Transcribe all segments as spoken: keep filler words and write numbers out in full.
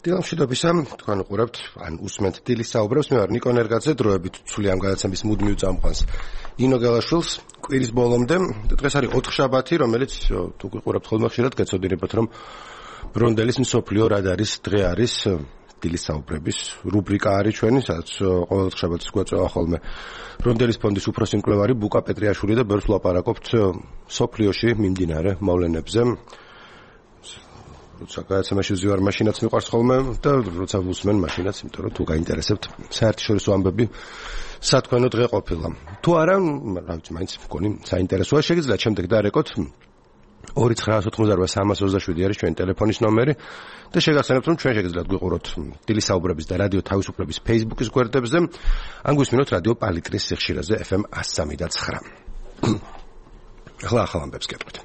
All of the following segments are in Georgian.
დილამშვიდობისა, თქვენ უყურებთ, ან უსმენთ დილის საუბრებს, მე ვარ ნიკო ნერგაძე, დროებით ცვლი ამ გადაცემის მუდმივ წამყვანს ინო გელაშვილს, კვირის ბოლომდე, დღეს არის ოთხშაბათი, რომელიც თუ გიყურებთ ხოლმე ხშირად, გეცოდინებათ, რომ ბრონდელის მსოფლიო რადარის დღე არის, დილის საუბრების რუბრიკა არის ჩვენი, სადაც ყოველ ოთხშაბათს გვეწევა ხოლმე ბრონდელის ფონდის უფროსი მკვლევარი ბუკა პეტრიაშვილი და ბევრს ვლაპარაკობთ სოფლიოში მიმდინარე მოვლენებზე. როცა გადაცემაში ვზივარ, მაშინაც მიყვარს ხოლმე და როცა ვუსმენ, მაშინაც, იმიტომ რომ თუ გაინტერესებთ საერთაშორისო ამბები სათქვენო დღე ყოფილა. თუ არა, რა ვიცი, მაინც მგონი საინტერესოა, შეგიძლიათ შემდეგ დაარეკოთ ორი ცხრა ოთხმოცდაოთხ სამას ოცდაშვიდი არის ჩვენი ტელეფონის ნომერი და შეგახსენებთ, რომ ჩვენ შეგიძლიათ გვიყუროთ დილის საუბრების და რადიო თავისუფლების Facebook-ის გვერდებზე, ან გვისმინოთ რადიო პალიტრის სიხშირეზე ეფ ემ εκατო სამი და ცხრა. ახლა ახალ ამბებს გეტყვით.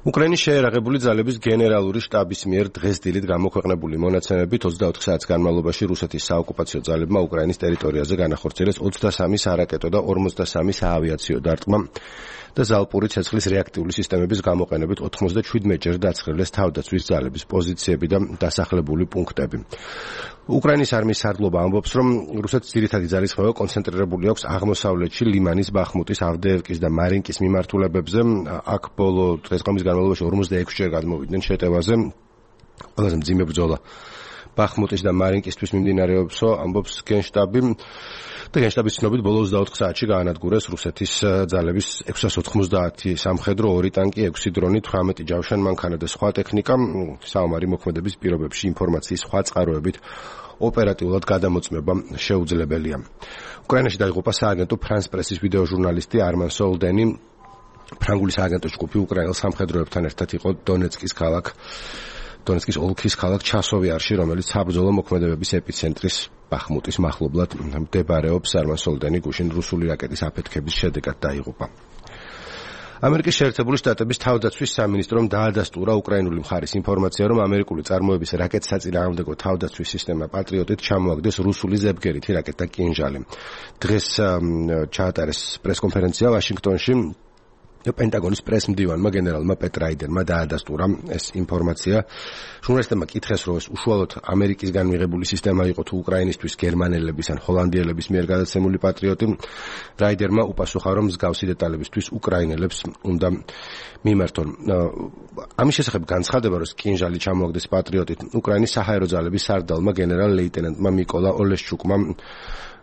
უკრაინის შეერაღებული ძალების გენერალური შტაბის მიერ დღეს დილით გამოქვეყნებული მონაცემებით ოცდაოთხ საათის განმავლობაში რუსეთის საოკუპაციო ძალებმა უკრაინის ტერიტორიაზე განახორციელეს ოცდასამი სარაკეტო და ორმოცდასამი საავიაციო დარტყმა და ზალპური ცეცხლის რეაქტიული სისტემების გამოყენებით ოთხმოცდაშვიდმეტ ჯერ დაცხრილეს თავდაცვის ძალების პოზიციები და დასახლებული პუნქტები. უკრაინის არმიის სარდლობა ამბობს, რომ რუსეთის ძირითადი ძალისხმევა კონცენტრირებული აქვს აღმოსავლეთში ლიმანის, ბახმუტის, ავდეევკის და მარინკის მიმართულებებზე. აქ ბოლო დღესდღეობის განმავლობაში ორმოცდაექვსჯერ გადმოვიდნენ შეტევაზე. ყველაზე მძიმე ბრძოლა ბახმუტის და მარინკისთვის მიმდინარეობსო, ამბობს გენშტაბი. და გენშტაბის ცნობით ბოლო ოცდაოთხ საათში გაანადგურეს რუსეთის ძალების ექვსას ოთხმოცდაათი სამხედრო, ორი ტანკი, ექვსი დრონი, თვრამეტი ჯავშანი მანქანა და სხვა ტექნიკა. საომარი მოქმედების პირობებში ინფორმაციის სხვა წყაროებით ოპერატიულად გადამოწმება შეუძლებელია. უკრაინაში დაიღუპა სააგენტო ფრანს პრესის ვიდეო ჟურნალისტი არმან სოლდენი. ფრანგული სააგენტო ჯგუფი უკრაინელ სამხედროებთან ერთად იყო დონეცკის ქალაქ დონეცკის ოლქის ქალაქ ჩასოვიარში, რომელიც საბრძოლო მოქმედებების ეპიცენტრის ბახმუტის მახლობლად მდებარეობს. არმან სოლდენი გუშინ რუსული რაკეტის აფეთქების შედეგად დაიღუპა. ამერიკის შეერთებული შტატების თავდაცვის სამინისტრომ დაადასტურა უკრაინული მხარის ინფორმაცია, რომ ამერიკული წარმოების რაკეტსაწინააღმდეგო თავდაცვის სისტემა პატრიოტით ჩამოაგდეს რუსული ზებგერითი რაკეტა კინჟალი. დღეს ჩაატარეს პრესკონფერენცია ვაშინგტონში. პენტაგონის პრესმდივანმა გენერალმა პეტ რაიდერმა დაადასტურა ეს ინფორმაცია. ჟურნალისტებმა კითხეს, რომ ეს უშუალოდ ამერიკისგან მიღებული სისტემა იყო თუ უკრაინისთვის გერმანელების ან ჰოლანდიელების მიერ გადაცემული პატრიოტი. რაიდერმა უპასუხა, რომ მსგავსი დეტალებისთვის უკრაინელებს უნდა მიმართონ. ამის შესახებ განცხადება, რომ კინჟალი ჩამოაგდეს პატრიოტით, უკრაინის საჰაერო ძალების სარდალმა გენერალ ლეიტენანტმა მიკოლა ოლეშჩუკმა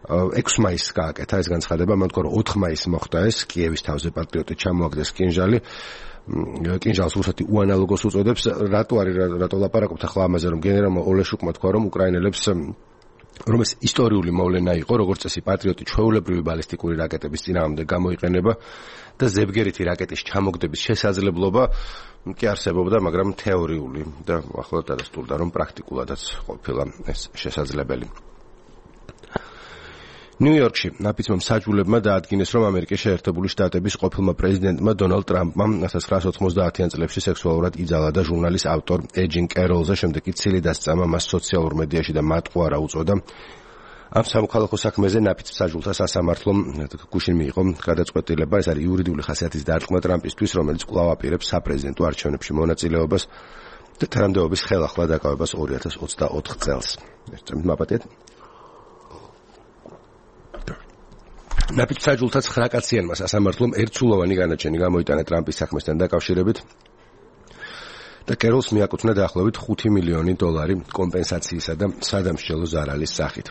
ექვსი მაისს გააკეთა ეს განცხადება, მან თქვა, რომ ოთხ მაისს მოხდა ეს კიევის თავზე პატრიოტით ჩამოაგდეს კინჟალი. კინჟალს რუსეთი უანალოგოს უწოდებს. რატო არის რატო ლაპარაკობთ ახლა ამაზე, რომ გენერალმა ოლეშჩუკმა თქვა, რომ უკრაინელებს რომ ეს ისტორიული მოვლენა იყო, როგორც წესი პატრიოტი ჩვეულებრივი ბალისტიკური რაკეტების წინააღმდეგ გამოიყენება და ზებგერითი რაკეტის ჩამოგდების შესაძლებლობა კი არსებობდა, მაგრამ თეორიული და ახლა დადასტურდა, რომ პრაქტიკულადაც ყოფილა ეს შესაძლებელი. ნიუ-იორკში ნაფიცმა მსაჯულებმა დაადგინეს, რომ ამერიკის შეერთებული შტატების ყოფილმა პრეზიდენტმა დონალდ ტრამპმა千九百ოცდაათიან წლებში სექსუალურად იძალა და ჟურნალის ავტორ ეჯინ კეროლზე შემდეგ კი ცილი დასწამა მას სოციალურ მედიაში და მატყუარა უწოდა. ამ სამოქალაქო საქმეზე ნაფიც მსაჯულთა სასამართლომ გუშინ მიიღო გადაწყვეტილება. ეს არის იურიდიული ხასიათის დარტყმა ტრამპისთვის, რომელიც კვლავ აპირებს საპრეზიდენტო არჩევნებში მონაწილეობას და თანამდებობის ხელახლა დაკავებას ორი ათას ოცდაოთხ წელს. ეს წამით მაპატიეთ. ნაფიც მსაჯულთა ცხრა კაციანმა სასამართლომ ერთსულოვანი განაჩენი გამოიტანა ტრამპის საქმესთან დაკავშირებით და კეროლს მიაკუთვნა დაახლოებით ხუთი მილიონი დოლარი კომპენსაციისა და სადამსჯელო ზარალის სახით.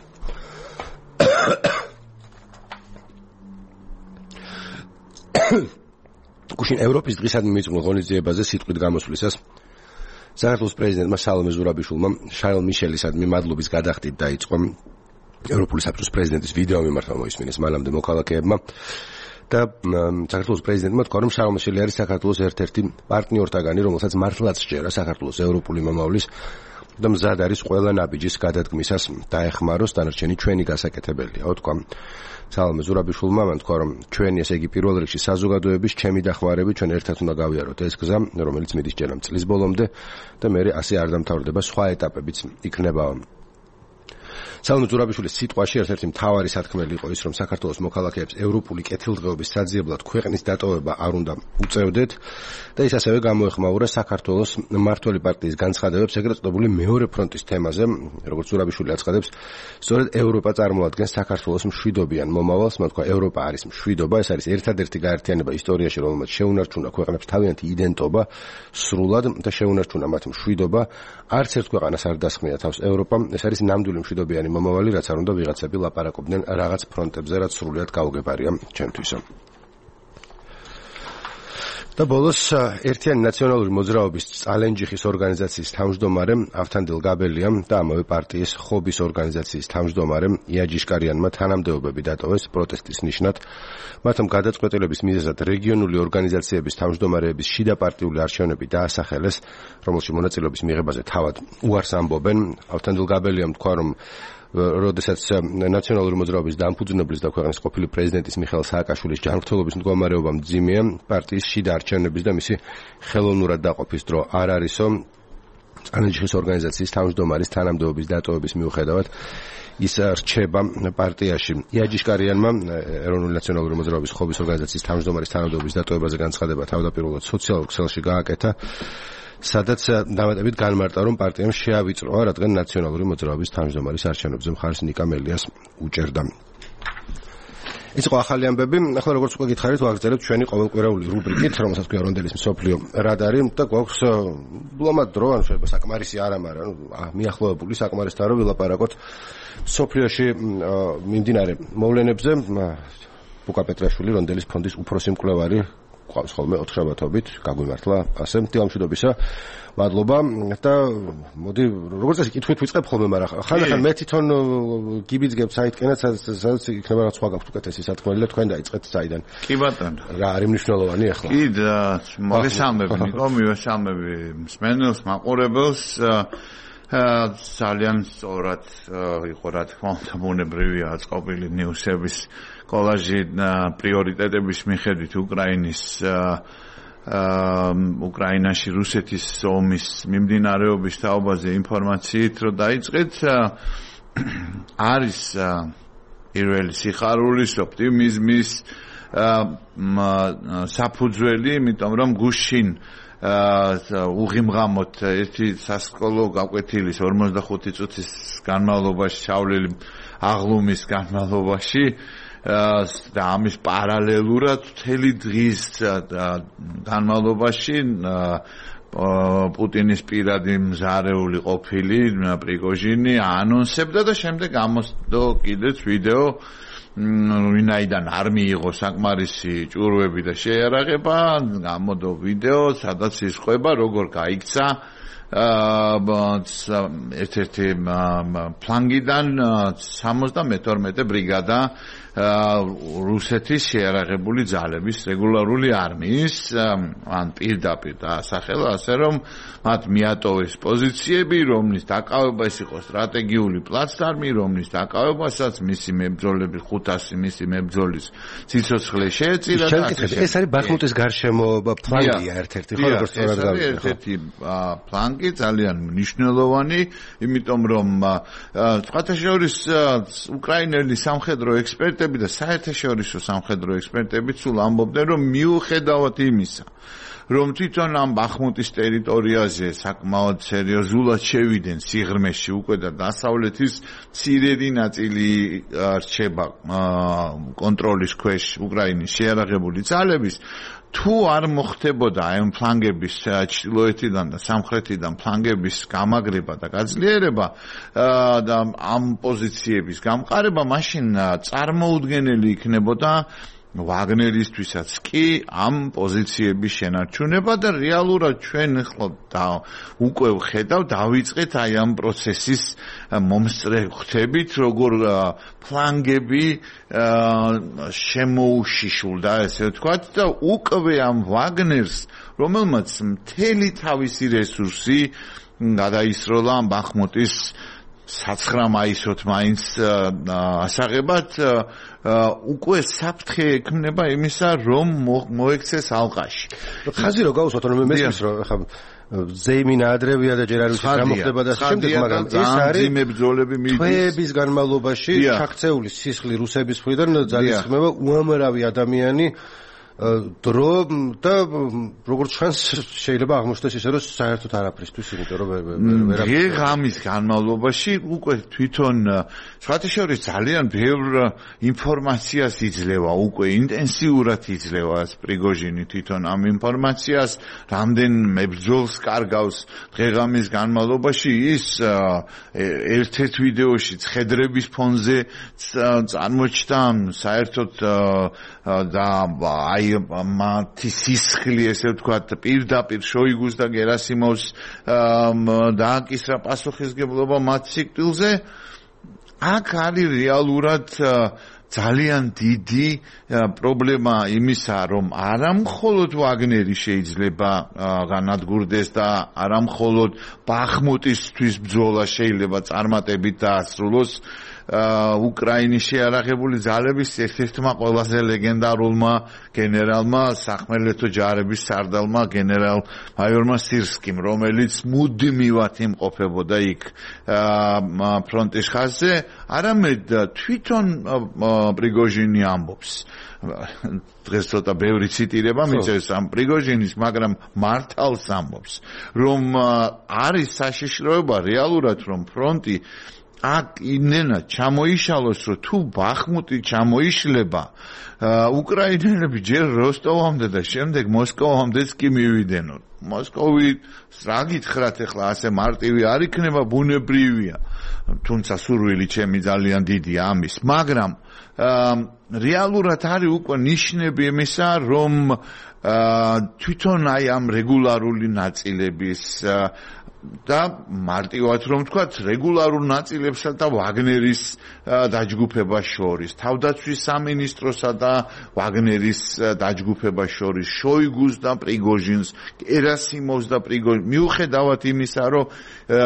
გუშინ ევროპის დღისადმი მიწმულ ღონისძიებაზე სიტყვით გამოსვლისას საქართველოს პრეზიდენტმა სალომე ზურაბიშვილმა შარლ მიშელისადმი მადლობის გადახდით დაიწყო. ევროპული საბჭოს პრეზიდენტის ვიდეო მიმართვა მოისმინეს მანამდე მოქალაქეებმა და საქართველოს პრეზიდენტმა თქვა, რომ შარლ მიშელი არის საქართველოს ერთ-ერთი პარტნიორთაგანი, რომელსაც მართლაც სჯერა საქართველოს ევროპული მომავლის და მზად არის ყველა ნაბიჯის გადადგმისას დაეხმაროს, დანარჩენი ჩვენი გასაკეთებელია. თქვა სალომე ზურაბიშვილმა, მან თქვა, რომ ჩვენი ესე იგი პირველ რიგში საზოგადოების ჩემი დახმარებით ჩვენ ერთად უნდა გავიაროთ ეს გზა, რომელიც მიდის ჯერამ წლის ბოლომდე და მე ასე არ დამთავრდება, სხვა ეტაპებიც იქნება. სალომე ზურაბიშვილის სიტყვაში ერთ-ერთი მთავარი სათქმელი იყო ის, რომ საქართველოს მოქალაქეებს ევროპული კეთილდღეობის საძიებლად ქვეყნის დატოვება არ უნდა უწევდეთ და ის ასევე გამოეხმაურა საქართველოს მმართველი პარტიის განცხადებებს ეგრეთ წოდებული მეორე ფრონტის თემაზე, როგორც ზურაბიშვილი აცხადებს, სწორედ ევროპა წარმოადგენს საქართველოს მშვიდობიან მომავალს, მათ თქვა ევროპა არის მშვიდობა, ეს არის ერთადერთი გაერთიანება ისტორიაში, რომელმაც შეუნარჩუნა ქვეყნებს თავიანთი იდენტობა სრულად და შეუნარჩუნა მათ მშვიდობა, არც ერთ ქვეყანას არ დასხმია თავს ევროპა, ეს არის ნამდვილი მშვიდობიანი მომავალი, რაც არ უნდა ვიღაცები ლაპარაკობდნენ რაღაც ფრონტებზე, რაც სრულიად გაუგებარია ჩემთვისო. და ბოლოს ერთიანი ნაციონალური მოძრაობის წალენჯიხის ორგანიზაციის თავმჯდომარე ავთანდილ გაბელიამ და ამავე პარტიის ხობის ორგანიზაციის თავმჯდომარე იაჯიშკარიანმა თანამდებობები დატოვეს პროტესტის ნიშნად. მათამ გადაწყვეტილების მიზეზად რეგიონული ორგანიზაციების თავმჯდომარეების შიდა პარტიული არჩევნები დაასახელეს, რომელშიც მონაწილეობის მიღებაზე თავად უარს ამბობენ. ავთანდილ გაბელიამ თქვა, რომ როდესაც ნაციონალური მოძრაობის დამფუძნებლის და ქვეყნის ყოფილი პრეზიდენტის მიხეილ სააკაშვილის ჯანმრთელობის მდგომარეობა მძიმეა, პარტიის შიდა არჩევნების და მისი ხელოვნურად დაყოფის დრო არ არისო. წალენჯიხის ორგანიზაციის თავმჯდომარის თანამდებობის დატოვების მიუხედავად ის რჩება პარტიაში. იაჯიშკარიანმა ეროვნული ნაციონალური მოძრაობის ხობის ორგანიზაციის თავმჯდომარის თანამდებობის დატოვებაზე განცხადება თავდაპირველად სოციალურ ქსელში გააკეთა, სადაც დამატებით განმარტა, რომ პარტიამ შეავიწროა, რადგან ნაციონალური მოძრაობის თავმჯდომარის არჩევნებზე მხარს ნიკა მელიას უჭერდა. ეს იყო ახალი ამბები. ახლა როგორც უკვე გითხარით, ვაგრძელებთ ჩვენი ყოველკვირეული რუბრიკით, რომელსაც ქვია რონდელის მსოფლიო რადარი და გვაქვს ბლომად დრო, ანუ შეიძლება საკმარისი არა, მაგრამ მიახლოებული საკმარისთან რომ ვილაპარაკოთ მსოფლიოში მიმდინარე მოვლენებზე. ბუკა პეტრაშვილი, რონდელის ფონდის უფროსი მკვლევარი, ყავს ხოლმე ოთხშაბათობით, გაგვიმართლა ასე მტილამშვიდობისა. მადლობა და მოდი როგორც ეს კითხვით ვიწყებ ხოლმე, მაგრამ ხანდახან მე თვითონ გიბიძგებ საიტკენაც, სადაც იქნება რაც სხვა გაქვთ უკეთესი სათქმელი და თქვენ დაიწყეთ საიდან. კი ბატონო. რა არის მნიშვნელოვანი ახლა? კი და მოგესალმები, ნიკო, მივესალმები მსმენელს, მაყურებელს. ძალიან სწორად იყო რა თქმა უნდა ბუნებრივია აწყობილი ნიუსების კოლაჟი პრიორიტეტების მიხედვით უკრაინის უკრაინაში რუსეთის ომის მიმდინარეობის თაობაზე ინფორმაციით რომ დაიწყეთ არის პირველი სიხარულის ოპტიმიზმის საფუძველი, იმიტომ რომ გუშინ უღიმღამოთ ერთი სასკოლო გაკვეთილის ორმოცდახუთი წუთის განმავლობაში, შავლილი აღლუმის განმავლობაში და ამის პარალელურად მთელი დღის განმავლობაში პუტინის პირადი მზარეული ყოფილი პრიგოჟინი ანონსებდა და შემდეგ ამოსდო კიდეც ვიდეო, ვინაიდან არ მიიღო საკმარისი ჭურვები და შეიარაღება, გამოდო ვიდეო, სადაც ისყვება, როგორ გაიქცა ერთ-ერთი ფლანგიდან სამოცდამეთორმეტე ბრიგადა რუსეთის შეიარაღებული ძალების რეგულარული არმიის, ან პირდაპირ დაასახელა, ასე რომ მათ მიატოვეს პოზიციები, რომლის დაკავება ეს იყო სტრატეგიული პლაცდარმი, რომლის დაკავებასაც მისი მებრძოლები ხუთასი მისი მებრძოლის სიცოცხლე შეეწირა და ეს არის ბახმუტის გარშემო ფლანგია ერთ-ერთი, ხო, როგორც სწორად გავიგე. ერთ-ერთი ფლანგი ძალიან მნიშვნელოვანი, იმიტომ რომ სხვათა შორის უკრაინელი სამხედრო ექსპერტები და საერთაშორისო სამხედრო ექსპერტები სულ ამბობდნენ, რომ მიუხედავად იმისა, რომ თვითონ ამ ბახმუტის ტერიტორიაზე საკმაოდ სერიოზულად შევიდნენ სიღრმეში უკვე და დასავლეთის მცირედი ნაწილი რჩება კონტროლის ქვეშ უკრაინის შეიარაღებული ძალების, თუ არ მოხდებოდა ამ ფლანგების ჩრდილოეთიდან და სამხრეთიდან ფლანგების გამაგრება და გაძლიერება და ამ პოზიციების გამყარება, მაშინ წარმოუდგენელი იქნებოდა ვაგნერისთვისაც კი ამ პოზიციების შენარჩუნება და რეალურად ჩვენ ახლა უკვე ვხედავ დავიწყეთ აი ამ პროცესის მომსწრე ხვდებით, როგორ ფლანგები შემოუშიშულდა, ესე ვთქვათ, და უკვე ამ ვაგნერს, რომელმაც მთელი თავისი რესურსი გადაისროლა ამ ბახმუტის საცხრა მაისოთ მაინც ასაღებად უკვე საფრთხე ექმნება იმისა, რომ მოექცეს ალყაში. ხაზი რო გავუსვათ, რომ მესმის რომ ხა ზეიმინა ადრევია და ჯერ არ ვიცი რა მოხდება და შემდეგ, მაგრამ ეს არის მებრძოლები მიდის თვეების განმავლობაში შაქცეული სისხლი რუსების მხრიდან ძალისხმევა უამრავი ადამიანი დრო და როგორც ჩანს შეიძლება აღმოჩნდეს ისე რომ საერთოდ არაფრისთვის, იმიტომ რომ ვერ ღამის განმავლობაში უკვე თვითონ სხვათა შორის ძალიან ბევრ ინფორმაციას იძლევა, უკვე ინტენსიურად იძლევა პრიგოჟინი თვითონ ამ ინფორმაციას, რამდენ მებრძოლს კარგავს დღე-ღამის განმავლობაში. ის ერთ-ერთ ვიდეოში ცხედრების ფონზე წარმოჩნდა საერთოდ და აი მათი სისხლი, ესე ვთქვათ, პირდაპირ შოიგუს და გერასიმოვს დააკისრა პასუხისგებლობა მათ სიკვდილზე. აქ არის რეალურად ძალიან დიდი პრობლემა იმისა, რომ არა მხოლოდ ვაგნერი შეიძლება განადგურდეს და არა მხოლოდ ბახმუტისთვის ბრძოლა შეიძლება წარმატებით დაასრულოს. უკრაინის შეიარაღებული ძალების ერთ-ერთმა ყველაზე ლეგენდარულმა გენერალმა, სახმელეთო ჯარების სარდალმა გენერალ მაიორმა სირსკიმ, რომელიც მუდმივად იმყოფებოდა იქ ფრონტის ხაზზე, არამედ თვითონ პრიგოჟინი ამბობს. დღეს ცოტა ბევრი ციტირება მიწევს ამ პრიგოჟინის, მაგრამ მართალს ამბობს, რომ არის საშიშროება რეალურად, რომ ფრონტი აქ იმენა ჩამოიშალოს, რომ თუ ბახმუტი ჩამოიშლება, უკრაინელები ჯერ როსტოვამდე და შემდეგ მოსკოვამდეც კი მივიდენონ. მოსკოვი რა გითხრათ ახლა ასე მარტივი არ იქნება, ბუნებრივია. თუმცა სურვილი ჩემი ძალიან დიდია ამის, მაგრამ რეალურად არის უკვე ნიშნები იმისა, რომ თვითონ აი ამ რეგულარული ნაწილების და მარტივად რომ ვთქვათ, რეგულარულ ნაწილებსა და ვაგნერის დაჯგუფებას შორის, თავდაცვის სამინისტროსა და ვაგნერის დაჯგუფებას შორის, შოიგუს და პრიგოჟინს, გერასიმოვს და პრიგოჟინს, მიუხედავად იმისა, რომ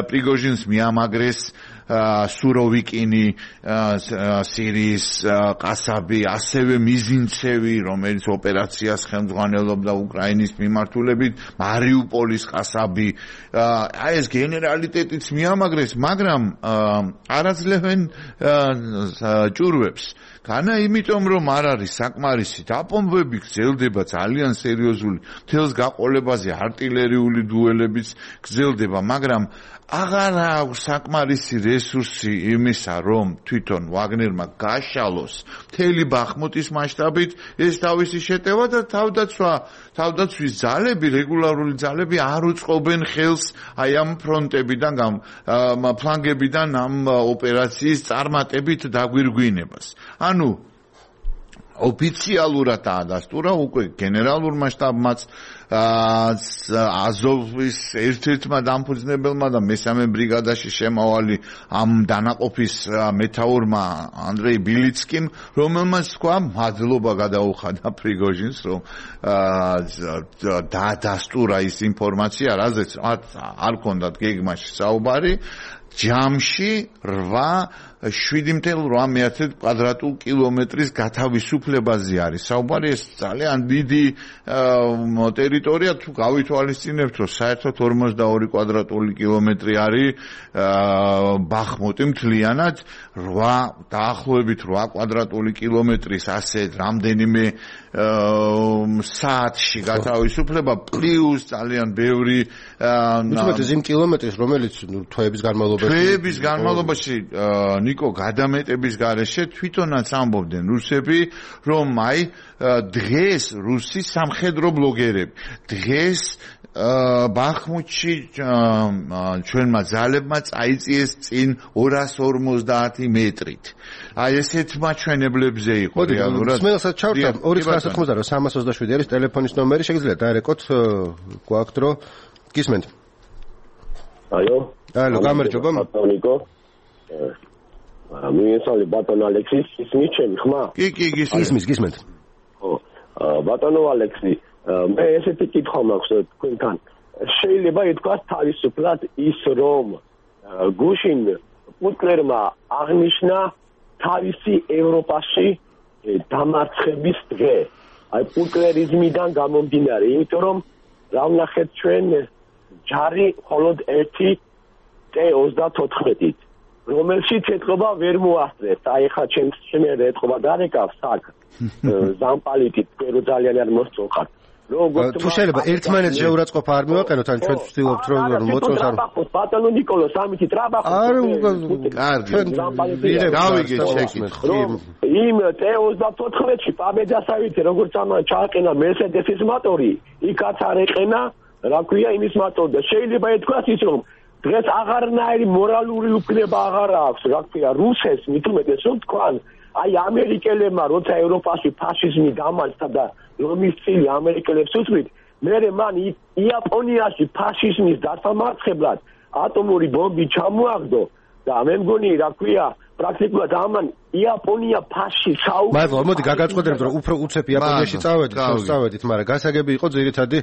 პრიგოჟინს მიამაგრეს სუროვიკინი, სირიის ყასაბი, ასევე მიზინცევი, რომელიც ოპერაციას ხელმძღვანელობდა უკრაინის მიმართულებით, მარიუპოლის ყასაბი, აი ეს გენერალიტეტიც მიამაგრეს, მაგრამ არაძლევენ ჭურვებს. განა იმიტომ, რომ არ არის საკმარისი დაპომბები, გრძელდება ძალიან სერიოზული მთელს გაყოლებაზე არტილერიული დუელებიც გრძელდება, მაგრამ აღარ აქვს საკმარისი რესურსი იმისა, რომ თვითონ ვაგნერმა გაშალოს მთელი ბახმუტის მასშტაბით ეს თავისი შეტევა და თავდაცვა, თავდაცვის ძალები, რეგულარული ძალები არ უწყობენ ხელს აი ამ ფრონტებიდან, ამ ფლანგებიდან ამ ოპერაციის წარმატებით დაგვირგვინებას. ანუ ოფიციალურად დაადასტურა უკვე გენერალურმა შტაბმაც აზოვის ერთ-ერთმა დამფუძნებელმა და მესამე ბრიგადაში შემავალი ამ დანაყოფის მეთაურმა ანდრეი ბილიცკიმ, რომელმაც თქვა მადლობა გადაუხადა პრიგოჟინს, რომ დაადასტურა ის ინფორმაცია, რაზეც არ ჰქონდათ გეგმაში საუბარი. ჯამში რვა შვიდი ათეული ორი კვადრატულ კილომეტრის გათავისუფლებაზე არის საუბარი. ეს ძალიან დიდი ტერიტორია, თუ გავითვალისწინებთ, რომ საერთოდ ორმოცდაორი კვადრატული კილომეტრი არის ბახმუტი მთლიანად, რვა დაახლოებით რვა კვადრატული კილომეტრის ასე რამდენიმე საათში გათავისუფლება, პლუს ძალიან ბევრი მithmetes იმ კილომეტრის, რომელიც თვეების განმავლობაში თვეების განმავლობაში ნიკო გადამეტების გარეშე თვითონაც ამბობდნენ რუსები, რომ აი დღეს რუსი სამხედრო ბლოგერები დღეს ბახმუტში ჩვენმა ძალებმა წაიწიეს წინ ორას ორმოცდაათი მეტრით. აი ესეთ მაჩვენებლებზე იყო რეალურად. სმელსაც ჩავარდა ორი ცხრა ათმოცდაორი სამას ოცდაშვიდი არის ტელეფონის ნომერი, შეგიძლიათ დაერეკოთ გვაქვთ რომ გისმენთ. აიო. აიო, გამარჯობა. ბატონიკო. მიესალმე ბატონ ალექსი, ისმის ჩემი ხმა? კი, კი, გისმის, გისმენთ. ხო. ბატონო ალექსი, მე ესეთი კითხვა მაქვს თქვენთან. შეიძლება ითქვას თავისუფლად ის, რომ გუშინ პუტლერმა აღნიშნა თავისი ევროპაში დამარცხების დღე. აი პუტლერიზმიდან გამომდინარე, იმიტომ რომ რა ვნახეთ ჩვენ ჯარი მხოლოდ ერთი ტე ოცდათოთხმეტით, რომელშიც ეთყობა ვერ მოასწრეთ. აი ხა ჩემს შემერე ეთყობა დარეკავს აქ ზამპალიტით, პერო ძალიან არ მოსწოხართ. თუ შეიძლება ერთმანეთს შეურაცხყოფა არ მივაყენოთ, ან ჩვენ ვცდილობთ რომ მოწოს არ ბატონო ნიკოლოს ამითი ტრაბახო არ კარგი გავიგეთ შეკით იმ ტე ოცდათოთხმეტში პაბედასავითი როგორც ამან ჩააყენა მერსედესის მოტორი იქაც არ ეყენა რა ქვია იმის მოტორი და შეიძლება ეთქვას ის რომ დღეს აღარნაირი მორალური უფლება აღარ აქვს რა ქვია რუსეთს მით უმეტეს რომ თქვან აი ამერიკელებმა როცა ევროპაში ფაშიზმი დამარცხდა და რომის წილი ამერიკელებს უთვლით მერე მან იაპონიაში ფაშიზმის დასამარცხებლად ატომური ბომბი ჩამოაგდო და მე მგონი რა ქვია პრაქტიკულად ამან იაპონია ფაში საუბარი მაგრამ მოდი გაგაწყობდეთ რომ უფრო უცებ იაპონიაში წავედით წავედით მაგრამ გასაგები იყო ძირითადი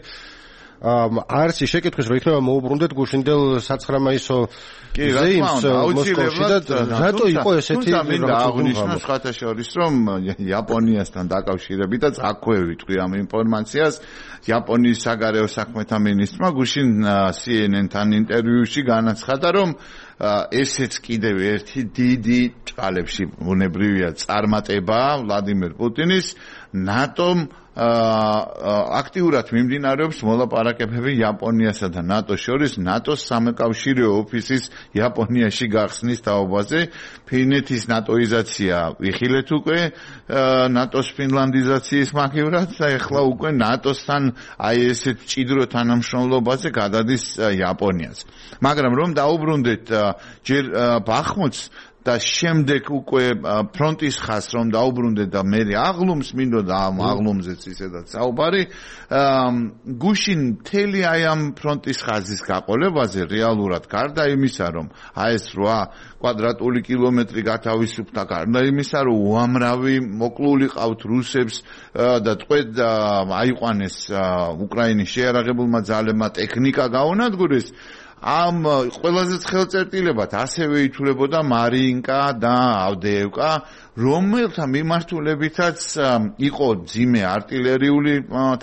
არცი შეკითხვის რომ იქნება მოუბრუნდეთ გუშინდელ საცხრა მაისო ზეიმს მოსკოვში და რატო იყო ესეთი მინდა აღნიშნო სხვათა შორის რომ იაპონიასთან დაკავშირებით აქვე ვიტყვი ამ ინფორმაციას იაპონიის საგარეო საქმეთა მინისტრმა გუშინ C N N-თან ინტერვიუში განაცხადა რომ ესეც კიდევ ერთი დიდი ჭალებში უნებრივია წარმატება ვლადიმერ პუტინის ნატომ აქტიურად მიმდინარეობს მოლაპარაკებები იაპონიასა და ნატოს შორის ნატოს სამეკავშირეო ოფისის იაპონიაში გახსნის თაობაზე ფინეთის ნატოიზაცია ვიხილეთ უკვე ნატოს ფინლანდიზაციის მაგივრად და ეხლა უკვე ნატოსთან აი ესეთ ჭიდრო თანამშრომლობაზე გადადის იაპონიაც მაგრამ რომ დაუბრუნდეთ ჯერ ბახმუთს და შემდეგ უკვე ფრონტის ხაზს რომ დაუბრუნდეთ და მე აღლუმს მინდოდა ამ აღლუმზეც ისედაც საუბარი გუშინ მთელი აი ამ ფრონტის ხაზის გაყოლებაზე რეალურად გარდა იმისა რომ აი ეს რვა კვადრატული კილომეტრი გათავისუფლდა გარდა იმისა რომ უამრავი მოკლული ყავთ რუსებს და ტყვედ აიყვანეს უკრაინის შეიარაღებულმა ძალებმა ტექნიკა გაუნადგურეს ამ ყველაზე ხელწერტილებად ასევე ითვლებოდა მარიინკა და ავდეევკა, რომელთა მიმართულებითაც იყო ძიმე артиლერიული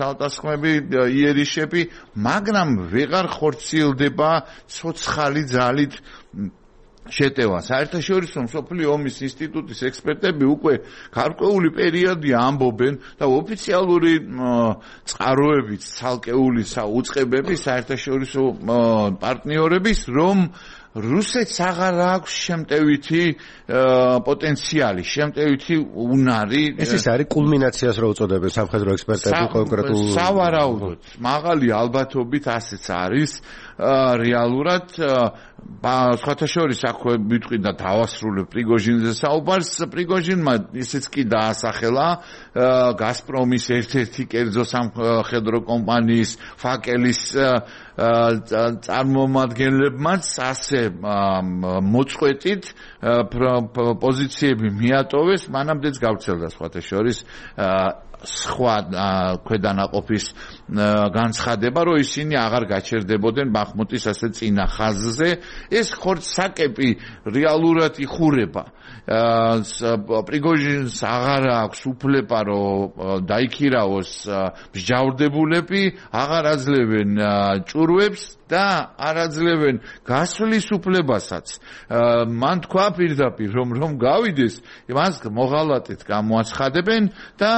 თავდასხმები, იერიშები, მაგრამ ვეღარ ხორციელდება ცოცხალი ძალით შეტევა. საერთაშორისო მსოფლიო ომის ინსტიტუტის ექსპერტები უკვე გარკვეული პერიოდი ამბობენ და ოფიციალური წყაროებით ცალკეული უწყებები საერთაშორისო პარტნიორების რომ რუსეთს აღარ აქვს შემტევითი პოტენციალი, შემტევითი უნარი. ეს ის არის კულმინაციას რო უწოდებენ სამხედრო ექსპერტები კონკრეტულ სავარაუდოდ მაღალი ალბათობით ასეც არის რეალურად სხვათა შორის აქვე ვიტყვი და დავასრულებ პრიგოჟინზე საუბარს პრიგოჟინმა ისიც კი დაასახელა გაზპრომის ერთ-ერთი კერძო სამხედრო კომპანიის ფაკელის წარმომადგენლებმაც ასე მოწყვეტით პოზიციები მიატოვეს მანამდეც გავრცელდა სხვათა შორის სხვა ქვედანაყოფის განცხადება, რომ ისინი აღარ გაჩერდებოდნენ ბახმუტის ასე წინა ხაზზე. ეს ხორცსაკეპი რეალურად იხურება. პრიგოჟინს აღარ აქვს უფლება, რომ დაიქირავოს მსჯავრდებულები, აღარ აძლევენ ჭურვებს და არ აძლევენ გასვლის უფლებასაც. მან თქვა პირდაპირ, რომ რომ გავიდეს, მას მოღალატეთ გამოაცხადებენ და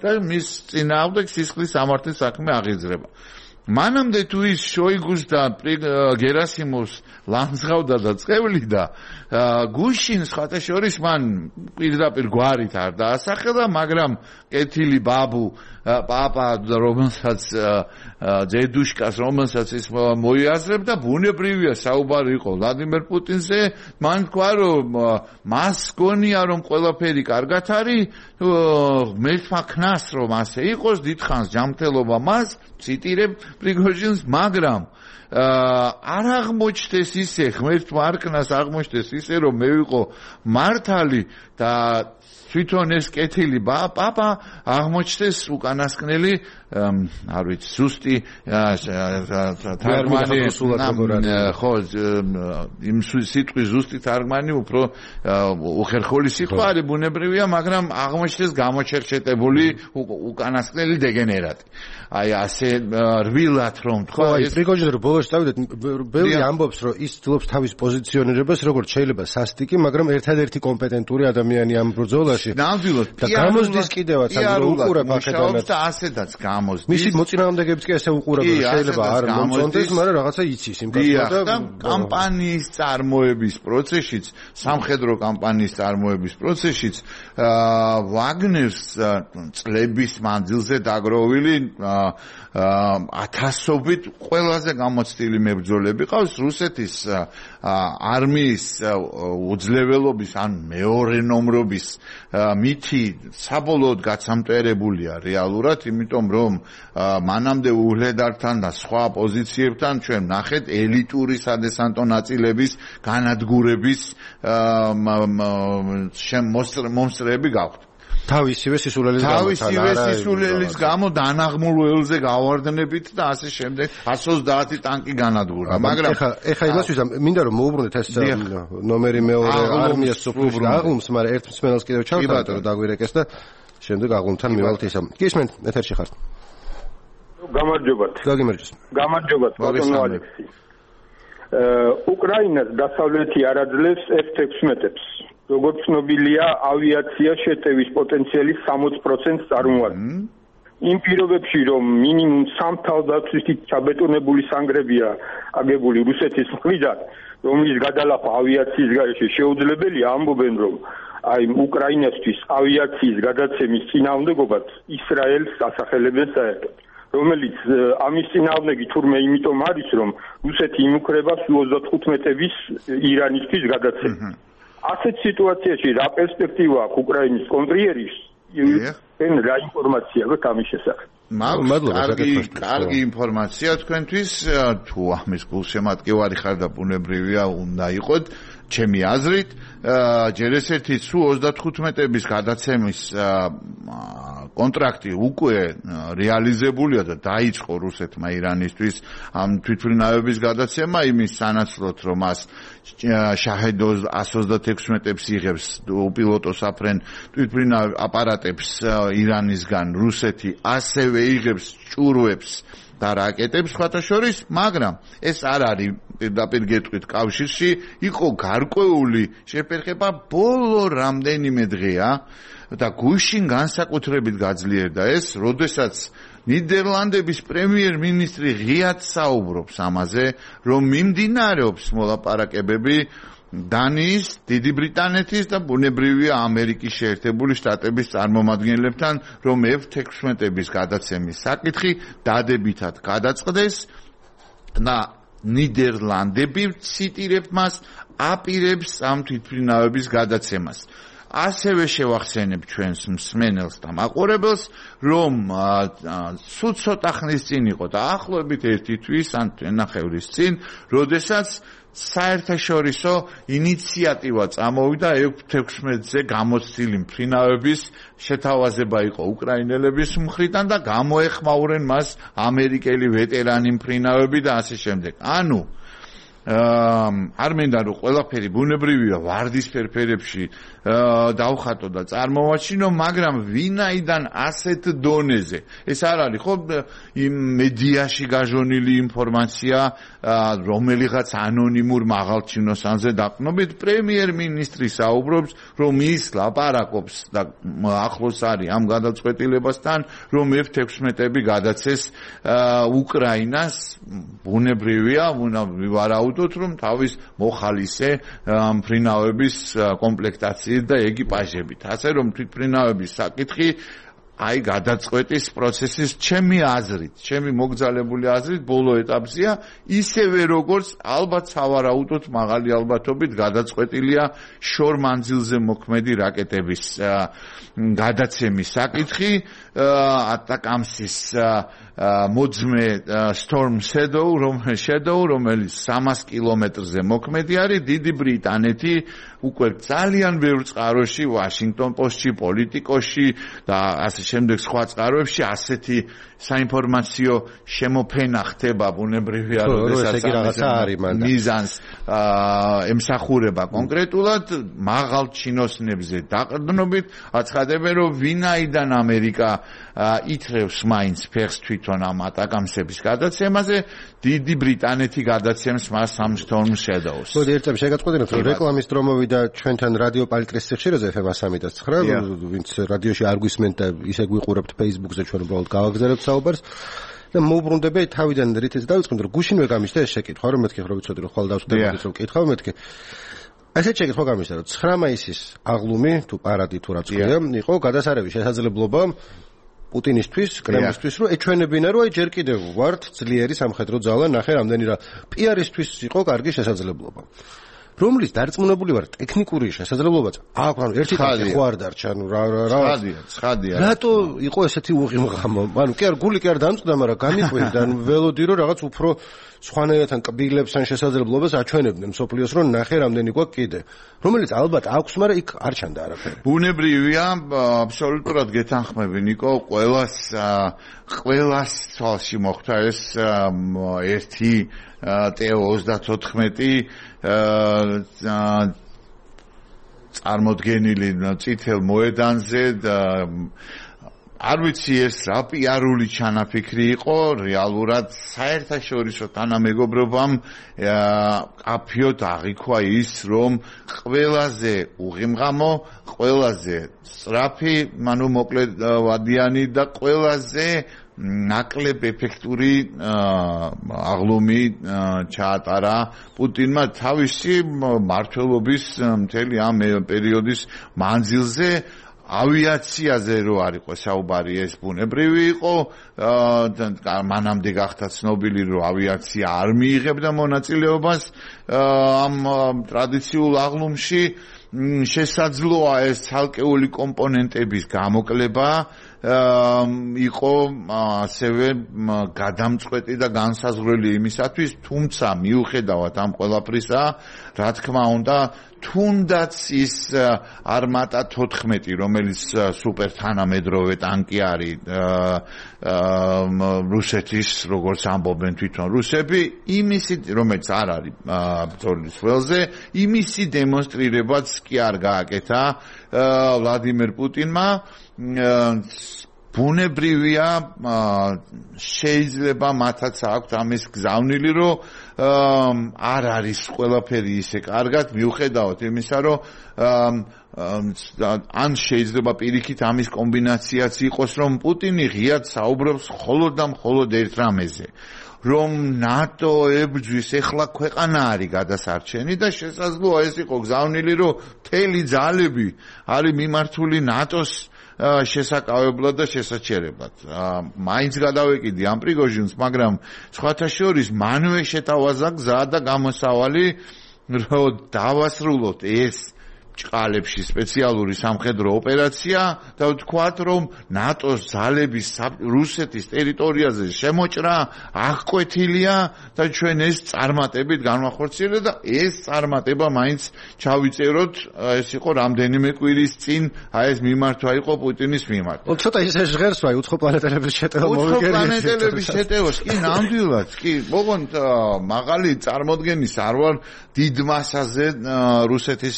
და მის წინააღმდეგ სისხლის სამართლის საქმე აღიძრება. მანამდე თუ ის შოიგუს და გერასიმოვს ლანძღავდა და წევლიდა გუშინ სხვათა შორის მან პირდაპირ გვარით არ დაასახელა მაგრამ კეთილი ბაბუ პაპა რომელსაც ძედუშკას რომელსაც ის მოიაზრებდა ბუნებრივია საუბარი იყო ვლადიმერ პუტინზე მან თქვა რომ მას გონია რომ ყველაფერი კარგად არის მე ვაქნას რომ ასე იყოს დიდხანს ჯანმრთელობა მას ციტირებ პრიგოჟინს მაგრამ არ აღმოჩნდეს ისე ღმერთ მარკნას აღმოჩნდეს ისე რომ მე ვიყო მართალი და თვითონ ეს კეთილი პაპა აღმოჩნდეს უკანასკნელი არ ვიცი ზუსტი თარგმანი ხო იმ სიტყვის ზუსტი თარგმანი უფრო უხერხული სიტყვა არის ბუნებრივია მაგრამ აღმოჩნდეს გამოჩერჩეტებული უკანასკნელი დეგენერატი აი ასე რბილად რომ თქვა ეს პრიგოჟინი რომ ბოლოს დავიდეთ ბევრი ამბობს რომ ის ცდილობს თავის პოზიციონირებას როგორც შეიძლება სასტიკი მაგრამ ერთადერთი კომპეტენტური ადამიანი ამ ბრძოლაში ნამდვილად და გამოსდის კიდევაც ამ უყურებ აქედანაც და ასედაც გამოსდის მისი მოწინააღმდეგეებიც კი ასე უყურებენ შეიძლება არ მომწონდეს მაგრამ რაღაცა იცის იმ კაცო და კამპანიის წარმოების პროცესშიც სამხედრო კამპანიის წარმოების პროცესშიც ვაგნერს წლების მანძილზე დაგროვილი ათასობით ყველაზე გამოცდილი მებრძოლები ყავს რუსეთის არმიის უძლეველობის ან მეორე ნომრობის მითი საბოლოოდ გაცამტერებულია რეალურად იმიტომ რომ მანამდე უჰლედართან და სხვა პოზიციებთან ჩვენ ნახეთ ელიტური სადესანტო ნაწილების განადგურების მომსწრეები გავხდით თავისივე სისულელის გამო თავისივე სისულელის გამო დანაღმულ ველზე გავარდნებით და ასე შემდეგ εκατს ოცდაათი ტანკი განადგურდა მაგრამ ეხა ეხა იმას ვიზამ მინდა რომ მოუბრუნდეთ ეს ნომერი მეორე არმიას სოფლში აღლუმს მაგრამ ერთ მსმენელს კიდევ ჩავთვალეთ რომ დაგვირეკეს და შემდეგ აღლუმთან მივალთ ისა გისმენთ ეთერში ხართ გამარჯობათ გაგიმარჯოს გამარჯობათ ბატონო ალექსი უკრაინას დასავლეთი არ აძლევს ეფ ექვსმეტებს როგორც ცნობილია, ავიაცია შეტევის პოტენციალის სამოცი პროცენტს წარმოადგენს. იმ პირობებში, რომ მინიმუმ სამ თავდაცვით ჩაბეტონებული სანგრებია აგებული რუსეთის მხრიდან, რომლის გადალახვა ავიაციის გარეშე შეუძლებელია, ამბობენ, რომ აი უკრაინასთვის ავიაციის გადაცემის წინააღმდეგობაც ისრაელს ასახელებენ საერთოდ. რომელიც ამის წინააღმდეგი თურმე იმიტომ არის, რომ რუსეთი იმუქრება სუ ოცდათხუთმეტების ირანისთვის გადაცემა. ასეთ სიტუაციაში რა პერსპექტივა აქვს უკრაინის კონტრიერის?ენ რა ინფორმაცია გაქვთ ამის შესახებ? კარგი, კარგი ინფორმაცია თქვენთვის, თუ ამის გულშემატკივარი ხარ და ბუნებრივია უნდა იყოთ, ჩემი აზრით, ჯერ ესეთი სუ ოცდათხუთმეტების გადაცემის კონტრაქტი უკვე რეალიზებულია და დაიწყო რუსეთმა ირანისთვის ამ თვითმფრინავების გადაცემა იმის სანაცვლოდ რომ მას შაჰედ εκατს ოცდაექვსმეტებს იღებს უპილოტო საფრენ თვითმფრინავ აპარატებს ირანისგან რუსეთი ასევე იღებს ჭურვებს და რაკეტებს სხვათა შორის, მაგრამ ეს არ არის პირდაპირ გეტყვით კავშირში, იყო გარკვეული შეფერხება ბოლო რამდენიმე დღეა და გუშინ განსაკუთრებით გაძლიერდა ეს, როდესაც ნიდერლანდების პრემიერ-მინისტრი ღიად საუბრობს ამაზე, რომ მიმდინარეობს მოლაპარაკებები დანიის, დიდი ბრიტანეთის და ბუნებრივია ამერიკის შეერთებული შტატების წარმომადგენლებთან, რომ ეფ ექვსმეტების გადაცემის საკითხი დადებითად გადაწყდეს და ნიდერლანდები ციტირებთ მას აპირებს ამ თვითმფრინავების გადაცემას. ასევე შევახსენებ ჩვენს მსმენელს და მაყურებელს, რომ სულ ცოტა ხნის წინ იყო და ახლობით ერთი თვის ან ნახევრის წინ, როდესაც საერთაშორისო ინიციატივა წამოვიდა ეფ ექვსმეტზე გამოცდილი მფრინავების შეთავაზება იყო უკრაინელების მხრიდან და გამოეხმაურენ მას ამერიკელი ვეტერანი მფრინავები და ასე შემდეგ. ანუ არ მინდა რომ ყველაფერი ბუნებრივია ვარდისფერ ფერებში დავხატო და წარმოვაჩინო, მაგრამ ვინაიდან ასეთ დონეზე ეს არ არის ხო იმ მედიაში გაჟონილი ინფორმაცია რომელიღაც ანონიმურ მაღალჩინოსანზე დაყრდნობით პრემიერ-მინისტრი საუბრობს, რომ ის ლაპარაკობს და ახლოს არის ამ გადაწყვეტილებასთან, რომ ეფ ექვსმეტები გადაცეს უკრაინას, ბუნებრივია, ვივარაუდოთ, რომ თავის მოხალისე მფრინავების კომპლექტაციით და ეკიპაჟებით. ასე რომ თვითმფრინავების საკითხი აი გადაწყვეტის პროცესის ჩემი აზრით, ჩემი მოგზალებული აზრით ბოლო ეტაპზეა, ისევე როგორც ალბათ სავარაუდოდ მაღალი ალბათობით გადაწყვეტილია შორ მანძილზე მოქმედი რაკეტების გადაცემის საკითხი, ატაკამსის მოძმე Storm Shadow, Shadow, რომელიც სამას კილომეტრზე მოქმედი არის, დიდი ბრიტანეთი უკვე ძალიან ბევრ წყაროში, Washington Post-ში, პოლიტიკოში და ასე შემდეგ სხვა წყაროებში ასეთი საინფორმაციო შემოფენა ხდება ბუნებრივია, როდესაც მიზანს ემსახურება კონკრეტულად მაღალ ჩინოსნებზე დაყრდნობით, აცხადებენ, რომ ვინაიდან ამერიკა ითრევს მაინც ფეხს თვითონ ამ ატაკამსების გადაცემაზე, დიდი ბრიტანეთი გადაცემს მას ამ Storm Shadows. მოდი ერთ წამს შეგაწყვეტინოთ, რომ რეკლამის დრო მოვიდა ჩვენთან რადიო პალკრის სიხშირეზე ეფ ემ one oh nine, ვინც რადიოში არ გვისმენთ და ისე გვიყურებთ Facebook-ზე, ჩვენ უბრალოდ გავაგზავნებთ საუბარს. და მოუბრუნდები თავიდან რითიც დავიწყოთ, რომ გუშინვე გამიშთა ეს შეკითხვა, რომ მეთქი რომ ვიცოდი, რომ ხვალ დავსვდებით, რომ კითხავ მეთქი. ასეთ შეკითხვა გამიშთა, რომ ცხრა მაისის აღლუმი თუ პარადი თუ რაც ქვია, იყო გადასარევი შესაძლებლობა პუტინისთვის, კრემლისთვის, რომ ეჩვენებინა, რომ აი ჯერ კიდევ ვართ ძლიერი სამხედრო ძალა, ნახე რამდენი რა პი-არისთვის იყო კარგი შესაძლებლობა. რომლის დარწმუნებული ვარ ტექნიკური შესაძლებლობაც აქვს, ანუ ერთი კაცი ხო არ დარჩა, ანუ რა რა რა ცხადია, ცხადია. რატო იყო ესეთი უღიმღამო? ანუ კი არ გული კი არ დამწყდა, მაგრამ განიყვინდა, ანუ ველოდი რომ რაღაც უფრო სხვანაირად კბილებს ან შესაძლებლობას აჩვენებდნენ მსოფლიოს, რომ ნახე რამდენი გვაქვს კიდე. რომელიც ალბათ აქვს, მაგრამ იქ არ ჩანდა არაფერი. ბუნებრივია, აბსოლუტურად გეთანხმები, ნიკო, ყველას ყველას თვალში მოხვდა ეს ერთი ტეო ოცდათოთხმეტი წარმოდგენილი წითელ მოედანზე და არ ვიცი ეს რა პიარული ჩანაფიქრი იყო, რეალურად საერთაშორისო თანამეგობრობამ აფიოდ აღიქვა ის, რომ ყველაზე უღიმღამო, ყველაზე სწრაფი, ანუ მოკლედ ვადიანი და ყველაზე ნაკლებ ეფექტური აღლუმი ჩაატარა პუტინმა თავისი მმართველობის მთელი ამ პერიოდის მანძილზე. ავიაციაზე რო არ იყო საუბარი, ეს ბუნებრივი იყო, მანამდე გახდა ცნობილი, რომ ავიაცია არ მიიღებდა მონაწილეობას ამ ტრადიციულ აღლუმში. შესაძლოა ეს ცალკეული კომპონენტების გამოკლება იყო ასევე გადამწყვეტი და განსაზღვრელი იმისათვის, თუმცა მიუხედავად ამ ყველაფრისა, რა თქმა უნდა, თუნდაც ის არმატა თოთხმეტი, რომელიც სუპერ თანამედროვე ტანკი არის რუსეთის, როგორც ამბობენ თვითონ რუსები, იმისი, რომელიც არ არის ბრძოლის ველზე, იმისი დემონსტრირებაც კი არ გააკეთა ვლადიმერ პუტინმა. ბუნებრივია, შეიძლება მათაც აქვთ ამის გზავნილი, რომ არ არის ყველაფერი ისე კარგად, მიუხედავად იმისა, რომ ან შეიძლება პირიქით ამის კომბინაციაც იყოს, რომ პუტინი ღიად საუბრობს მხოლოდ და მხოლოდ ერთ რამეზე, რომ ნატო ებრძვის ეხლა ქვეყანა არის გადასარჩენი და შესაძლოა ეს იყო გზავნილი, რომ მთელი ძალები არის მიმართული ნატოს შესაკავებლად და შესაჩერებლად. მაინც გადავეკიდი ამ პრიგოჟინს, მაგრამ სხვათა შორის მანვე შეთავაზა გზა და გამოსავალი, რომ დავასრულოთ ეს ჭყალებში სპეციალური სამხედრო ოპერაცია და ვთქვათ, რომ ნატოს ძალების რუსეთის ტერიტორიაზე შემოჭრა აღკვეთილია და ჩვენ ეს წარმატებით განვახორციელებთ და ეს წარმატება მაინც ჩავიწეროთ, ეს იყო რამდენიმე კვირის წინ, აი ეს მიმართვა იყო პუტინის მიმართ. ცოტა ისე ჟღერს ვაი უცხო პლანეტელების შეტევა მოვიგერიეთ. უცხო პლანეტელების შეტევას კი ნამდვილად, კი, ოღონდ მაღალი წარმოდგენის არ ვარ დიდ მასაზე რუსეთის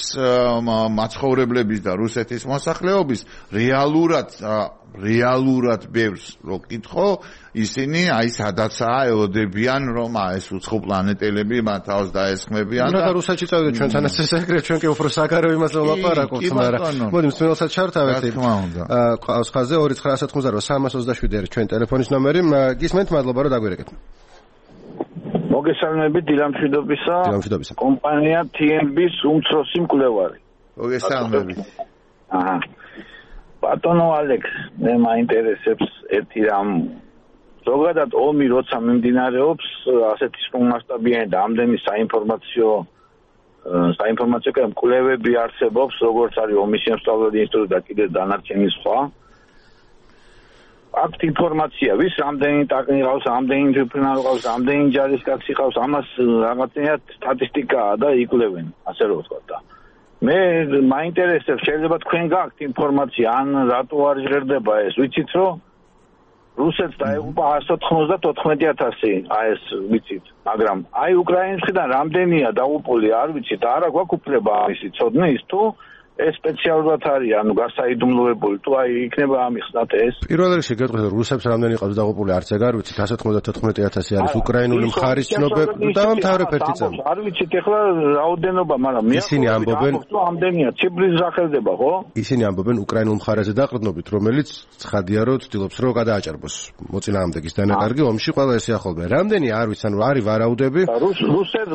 მაცხოვრებლების და რუსეთის მოსახლეობის რეალურად რეალურად ბევრს რო კითხო, ისინი აი სადაცაა ელოდებიან, რომ ეს უცხო პლანეტელები მათ თავს დაესხმებიან და რუსეთში წავიდეთ ჩვენთანაც ეს ეგრეთ, ჩვენ კი უფრო საგარეო იმაზე ვლაპარაკობთ, მაგრამ მოდი მსმენელსაც ჩართავეთ. ყავს ხაზზე ორი ცხრა ათმოცდაოთხ სამას ოცდაშვიდი არის ჩვენ ტელეფონის ნომერი. გისმენთ, მადლობა რომ დაგვირეკეთ. მოგესალმებით დილამშვიდობისა. კომპანია თი ენ ბის უმცროსი მკვლევარი. მოგესალმებით. აჰა. ბატონო ალექს, მე მაინტერესებს ერთი რამ. ზოგადად ომი როცა მიმდინარეობს, ასეთი მასშტაბიანი და ამდენი საინფორმაციო საინფორმაციო კვლევები არსებობს, როგორც არის ომის შემსწავლელი ინსტიტუტი და კიდე დანარჩენი სხვა. აქვთ ინფორმაცია, ვის რამდენი ტაკნი ყავს, რამდენი თვითმფრინავი ყავს, რამდენი ჯარისკაცი ყავს, ამას რაღაცნაირად სტატისტიკაა და იკვლევენ, ასე რომ ვთქვა და მე მაინტერესებს, შეიძლება თქვენ გაქვთ ინფორმაცია, ან რატო არ ჟღერდება ეს, ვიცით რომ რუსეთს დაეღუპა εκατს ოთხმოცდაოთხმეტი ათასი, აი ეს ვიცით, მაგრამ აი უკრაინის მხრიდან რამდენია დაღუპული, არ ვიცით, არა გვაქვს უფლება ამისი ცოდნის თუ ეს სპეციალურად არის, ანუ გასაიდუმლოებული, თუ აი იქნება ამიხსნათ ეს. პირველ რიგში გეტყვით, რომ რუსებს რამდენი ყავს დაღუპული, არც ეგ არ ვიცით, εκατს ოცდაოთხმეტი ათასი არის უკრაინული მხარის ცნობები და დამთავრებ ერთი წამი. არ ვიცით ეხლა რაოდენობა, მაგრამ მე ისინი ამბობენ, რომ ამდენია, ციფრის სახელდება, ხო? ისინი ამბობენ უკრაინულ მხარეზე დაყრდნობით, რომელიც ცხადია, რომ ცდილობს, რომ გადააჭარბოს მოწინააღმდეგის დანაკარგი ომში ყველა ესე ახალბე. რამდენი არ ვიცი, ანუ არის ვარაუდები.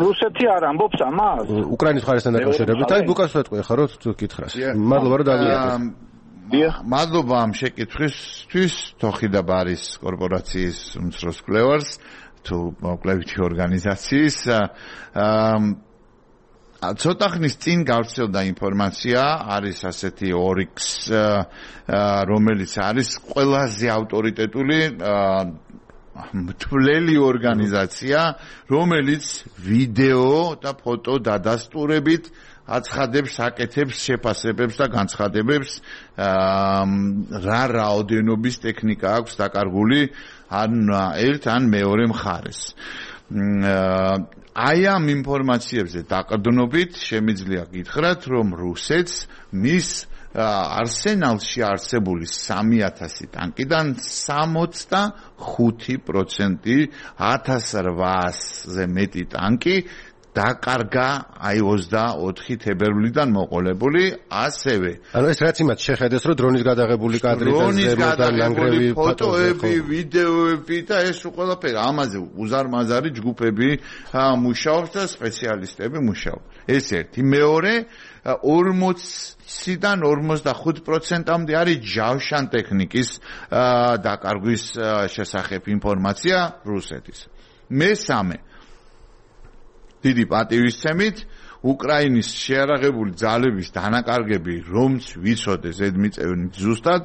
რუსეთი არ ამბობს ამას? უკრაინის მხარესთან დაკავშირებით, აი ბუკას ვეთყვი ხა რომ თუ მადლობა რომ დავიწყე. მადლობა ამ შეკითხვისთვის, თოხიდა ბარის კორპორაციის უმცროს კვლევარს, თუ კვლევითი ორგანიზაციის. ცოტა ხნის წინ გავრცელდა ინფორმაცია, არის ასეთი ორიქს, რომელიც არის ყველაზე ავტორიტეტული მთვლელი ორგანიზაცია, რომელიც ვიდეო და ფოტო დადასტურებით აცხადებს, აკეთებს შეფასებებს და განცხადებებს, რა რაოდენობის ტექნიკა აქვს დაკარგული ან ერთ ან მეორე მხარეს. აი ამ ინფორმაციებზე დაყრდნობით შემიძლია გითხრათ, რომ რუსეთს მის არსენალში არსებული სამი ათასი ტანკიდან სამოცდახუთი პროცენტი ათას რვაასზე მეტი ტანკი დაკარგა აი ოცდაოთხი თებერვლიდან მოყოლებული, ასევე ანუ ეს რაც იმათ შეხედეს, რომ დრონის გადაღებული კადრით ზემოდან ლანგრევი ფოტოები, ვიდეოები და ეს ყველაფერი, ამაზე უზარმაზარი ჯგუფები მუშაობს და სპეციალისტები მუშაობს. ეს ერთი. მეორე, ორმოციდან ორმოცდახუთ პროცენტამდე არის ჯავშან ტექნიკის დაკარგვის შესახებ ინფორმაცია რუსეთის. მესამე, დიდი პატივისცემით, უკრაინის შეარაღებული ძალების დანაკარგები, რომც ვიცოდე ზედმიწევნით ზუსტად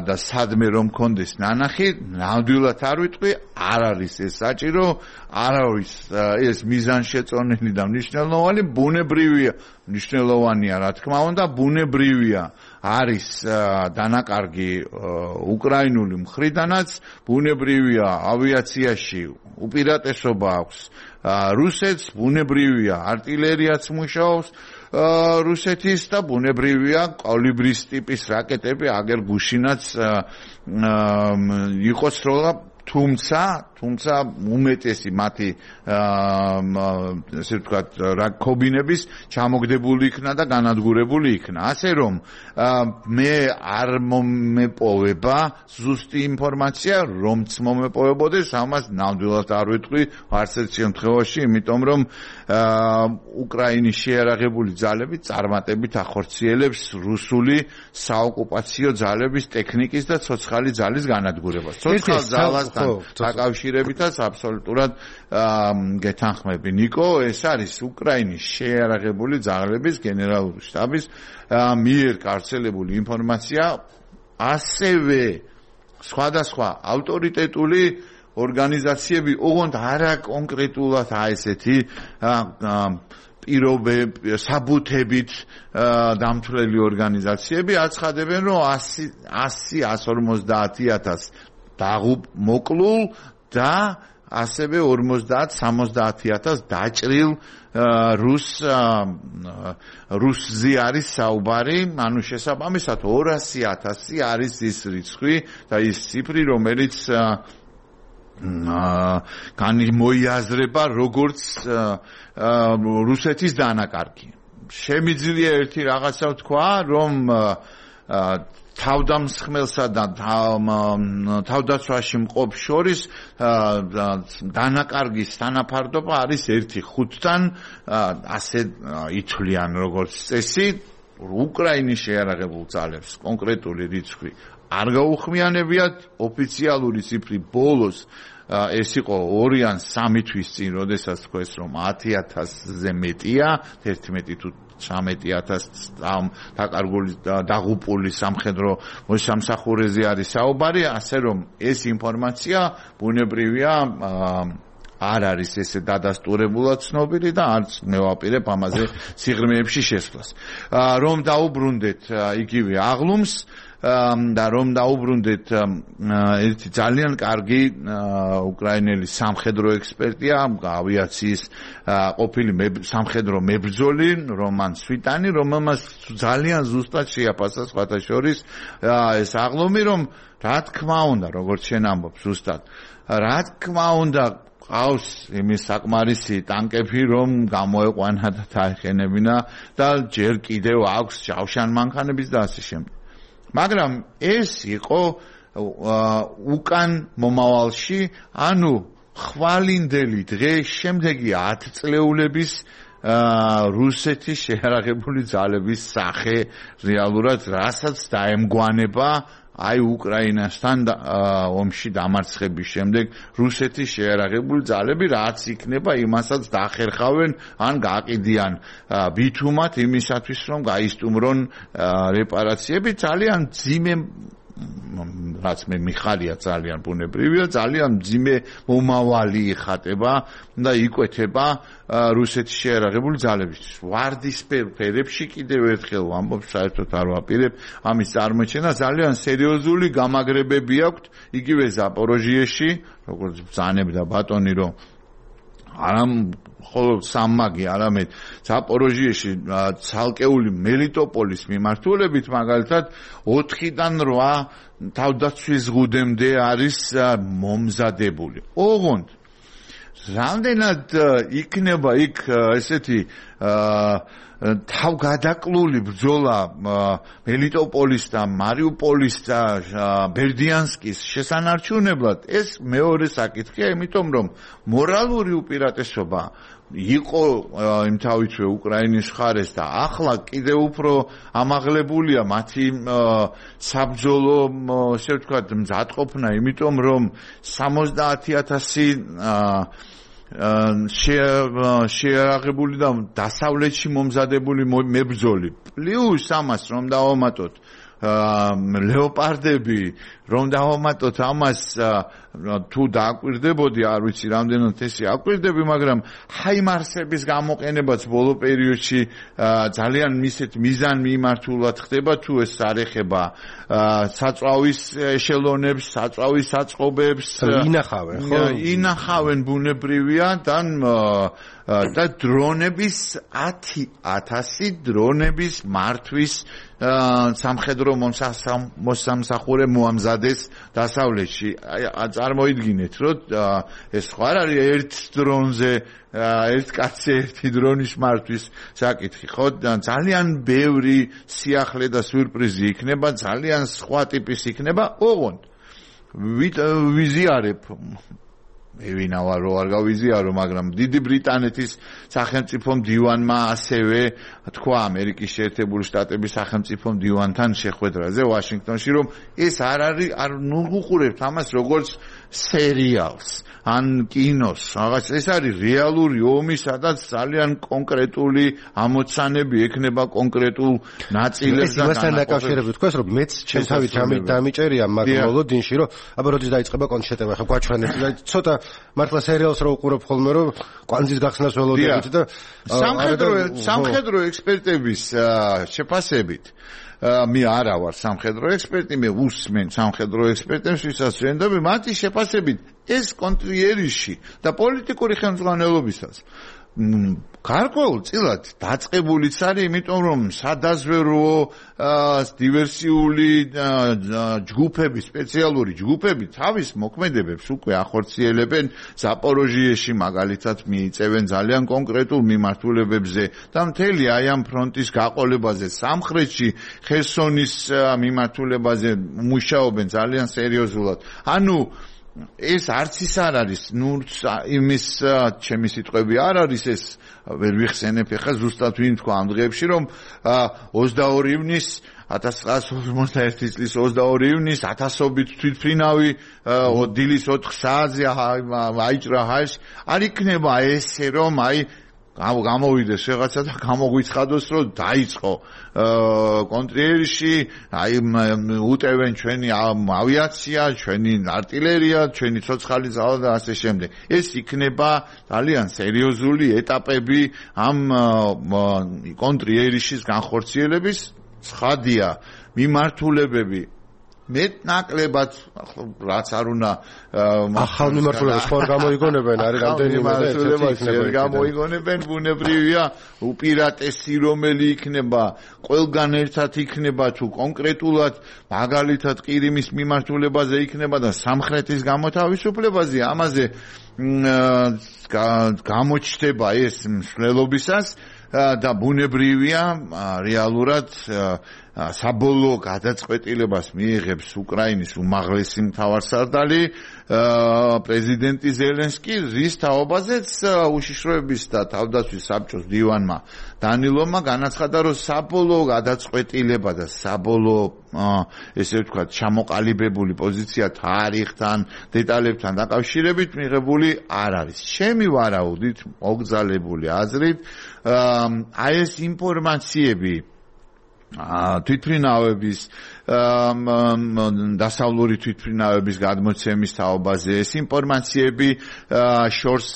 და სადმე რომ კონდეს ნანახი, ნამდვილად არ ვიტყვი, არ არის ეს საჭირო, არ არის ეს მიზანშეწონილი და მნიშვნელოვანი, ბუნებრივია, მნიშვნელოვანია რა თქმა უნდა, ბუნებრივია არის დანაკარგი უკრაინული მხრიდანაც, ბუნებრივია ავიაციაში უპირატესობა აქვს რუსეთს, ბუნებრივია არტილერიაც მუშაობს რუსეთის და ბუნებრივია კოლიბრის ტიპის რაკეტები აგერ გუშინაც იყოს როლა, თუმცა თუმცა უმეტესი მათი ესე ვთქვათ რაკობინების ჩამოგდებული იქნა და განადგურებული იქნა. ასე რომ მე არ მომეპოვება ზუსტი ინფორმაცია, რომც მომეპოვებოდეს, ამას ნამდვილად არ ვიტყვი არც ერთ შემთხვევაში, იმიტომ რომ უკრაინის შეარაღებული ძალები წარმატებით ახორციელებს რუსული საოკუპაციო ძალების ტექნიკის და ცოცხალი ძალის განადგურებას. ცოცხალ ძალასთან დაკავშირებითაც აბსოლუტურად გეთანხმები ნიკო, ეს არის უკრაინის შეარაღებული ძალების გენერალური შტაბის მიერ გავრცელებული ინფორმაცია, ასევე სხვადასხვა ავტორიტეტული ორგანიზაციები, ოღონდ არა კონკრეტულად აი ესეთი პირობები, საბუთებით დამთვლელი ორგანიზაციები აცხადებენ, რომ ასი εκατს ორმოცდაათი ათასი დაღუპ მოკლულ და ასევე ორმოცდაათ სამოცდაათი ათასი დაჭრილ რუს რუსზე არის საუბარი, ანუ შესაბამისად ორასი ათასი არის ის რიცხვი და ის ციფრი, რომელიც განმოიაზრება როგორც რუსეთის დანაკარგი. შემიძლია ერთი რაღაცა ვთქვა, რომ თავდამსხმელსა და თავდაცვაში მყოფ შორის დანაკარგის თანაფარდობა არის ერთი ხუთთან, ასე ითვლიან როგორც წესი, უკრაინის შეიარაღებულ ძალებს კონკრეტული რიცხვი არ გაუხმიანებიათ, ოფიციალური ციფრი ბოლოს ეს იყო ორი ან სამი თვის წინ, როდესაც თქვეს რომ ათი ათასზე მეტია, თერთმეტი თუ ცხრამეტი ათასი დაკარგული დაღუპული სამხედრო მოსამსახურეზე არის საუბარი, ასე რომ ეს ინფორმაცია ბუნებრივია არ არის ესე დადასტურებულად ცნობილი და არც მე ვაპირებ ამაზე სიღრმეებში შესვლას. რომ დაუბრუნდეთ იგივე აღლუმს და რომ დაუბრუნდეთ ერთი ძალიან კარგი უკრაინელი სამხედრო ექსპერტია, ავიაციის ყოფილი სამხედრო მებრძოლი რომან სვიტანი, რომელმაც ძალიან ზუსტად შეაფასა სხვათა შორის ეს აღლუმი, რომ რა თქმა უნდა, როგორც შენ ამბობ ზუსტად, რა თქმა უნდა ყავს იმის საკმარისი ტანკები, რომ გამოეყვანა და დაეხენებინა და ჯერ კიდევ აქვს ჯავშან მანქანების და ასე შემდეგ. მაგრამ ეს იყო უკან მომავალში, ანუ ხვალინდელი დღე შემდეგი ათი წლეულების რუსეთის შეიარაღებული ძალების სახე რეალურად რასაც დაემგვანება აი უკრაინასთან ომში დამარცხების შემდეგ რუსეთის შეიარაღებული ძალები, რაც იქნება იმასაც დახერხავენ ან გააყიდიან ბითუმად იმისათვის, რომ გაისტუმრონ რეპარაციები. ძალიან ძიმე, რაც მე მიხარია ძალიან ბუნებრივია, ძალიან ძიმე მომავალი იხატება და იკვეთება რუსეთის შეიარაღებული ძალებისთვის. ვარდისფერ ფერებში კიდევ ერთხელ ვამბობ, საერთოდ არ ვაპირებ ამის წარმოჩენა, ძალიან სერიოზული გამაგრებები აქვთ იგივე ზაპოროჟიეში, როგორც ბრძანებდა ბატონი, რომ არამ ხოლო სამმაგი, არამედ ზაპოროჟიეში ცალკეული მელიტოპოლის მიმართულებით მაგალითად ოთხიდან რვა თავდაცვის ზღუდემდე არის მომზადებული. ოღონდ რამდენად იქნება იქ ესეთი თავგადაკლული ბრძოლა მელიტოპოლის და მარიუპოლის და ბერდიანსკის შესანარჩუნებლად, ეს მეორე საკითხია, იმიტომ რომ მორალური უპირატესობა იყო იმთავითვე უკრაინის მხარეს და ახლა კიდევ უფრო ამაღლებულია მათი საბრძოლო, ესე ვთქვათ, მზადყოფნა, იმიტომ რომ სამოცდაათი ათასი შეიარაღებული და დასავლეთში მომზადებული მებრძოლი, პლუს ამას რომ დავამატოთ ლეოპარდები, რომ დავამატოთ ამას თუ დააკვირდებოდი, არ ვიცი რამდენად ესე აკვირდები, მაგრამ ჰაიმარსების გამოყენებაც ბოლო პერიოდში ძალიან მისეთ მიზან მიმართულად ხდება, თუ ეს არ ეხება საწვავის ეშელონებს, საწვავის საწყობებს, ინახავენ, ხო? ინახავენ ბუნებრივია და და დრონების ათი ათასი დრონების მართვის სამხედრო მოსამსახურე მოამზადეს დასავლეთში. წარმოიდგინეთ, რომ ეს ხო არ არის ერთ დრონზე ერთ კაცზე ერთი დრონის მართვის საკითხი, ხო? ძალიან ბევრი სიახლე და სიურპრიზი იქნება, ძალიან სხვა ტიპის იქნება. ოღონდ ვიზიარებ, მე ვინა ვარ, რო არ გავიზიარო, მაგრამ დიდი ბრიტანეთის სახელმწიფო მდივანმა ასევე თქვა ამერიკის შეერთებული შტატების სახელმწიფო მდივანთან შეხვედრაზე ვაშინგტონში, რომ ეს არ არის, არ ნუღუყურებთ ამას როგორც სერიალს ან კინოს, რაღაც ეს არის რეალური ომი, სადაც ძალიან კონკრეტული ამოცანები ექნება კონკრეტულ ნაწილებს და განაყოფებს. ეს იმასთან დაკავშირებით თქვას, რომ მეც ჩემთავით დამიჭერია მაგ მოლოდინში, რომ აბა როდის დაიწყება კონცერტები, ხა გვაჩვენეთ და ცოტა მართლა სერიალს რო უყურებ ხოლმე, რომ კვანძის გახსნას ველოდებით და სამხედრო სამხედრო ექსპერტების შეფასებით მე არა ვარ სამხედრო ექსპერტი, მე უსმენ სამხედრო ექსპერტებს, ვისაც ვენდობი, მათი შეფასებით ეს კონტრიერიში და პოლიტიკური ხელმძღვანელობისას გარკვეულწილად დაწყებულიც არის, იმიტომ რომ სადაზვერვო დივერსიული ჯგუფები, სპეციალური ჯგუფები თავის მოქმედებებს უკვე ახორციელებენ ზაპოროჟიეში, მაგალითად მიიწევენ ძალიან კონკრეტულ მიმართულებებზე და მთელი აი ამ ფრონტის გაყოლებაზე, სამხრეთში ხერსონის მიმართულებაზე მუშაობენ ძალიან სერიოზულად. ანუ ეს არც ის არ არის, ნუ იმის ჩემი სიტყვები არ არის ეს ვერ ვიხსენებ ახლა ზუსტად ვინ თქვა ამ დღეებში რომ ოცდაორი ივნის ათას ცხრაასი ორმოცდაერთი წლის ოცდაორი ივნის ათასობით თვითმფრინავი დილის ოთხ საათზე აიჭრა ჰაერში არ იქნება ესე რომ აი გამოვიდეს რაღაცა და გამოგვიცხადოს რომ დაიწყო კონტრიერში აი უტევენ ჩვენი ავიაცია, ჩვენი артиლერია, ჩვენი ცოცხალი ძალა და ასე შემდეგ. ეს იქნება ძალიან სერიოზული ეტაპები ამ კონტრიერიშის განხორციელების. ცხადია, მიმართულებები მეტნაკლებად რაც არ უნდა ახალ მიმართულებას ხარ გამოიგონებენ არის რამდენიმე მიმართულებას გამოიგონებენ ბუნებრივია უპირატესი რომელი იქნება ყველგან ერთად იქნება თუ კონკრეტულად მაგალითად ყირიმის მიმართულებაზე იქნება და სამხრეთის გამოთავისუფლებაზე ამაზე გამოჩნდება ეს მსვლელობისას და ბუნებრივია რეალურად საბოლოო გადაწყვეტილებას მიიღებს უკრაინის უმაღლესი მთავარსარდალი პრეზიდენტი ზელენსკი, რის თაობაზეც უშიშროების და თავდაცვის საბჭოს დივანმა დანილოვმა განაცხადა, რომ საბოლოო გადაწყვეტილება და საბოლოო ესე ვთქვათ ჩამოყალიბებული პოზიცია თარიღთან, დეტალებთან დაკავშირებით მიღებული არ არის. ჩემი ვარაუდით, მოგზალებული აზრით, აი ეს ინფორმაციები თვითმფრინავების დასავლური თვითმფრინავების გადმოცემის თაობაზე ეს ინფორმაციები შორს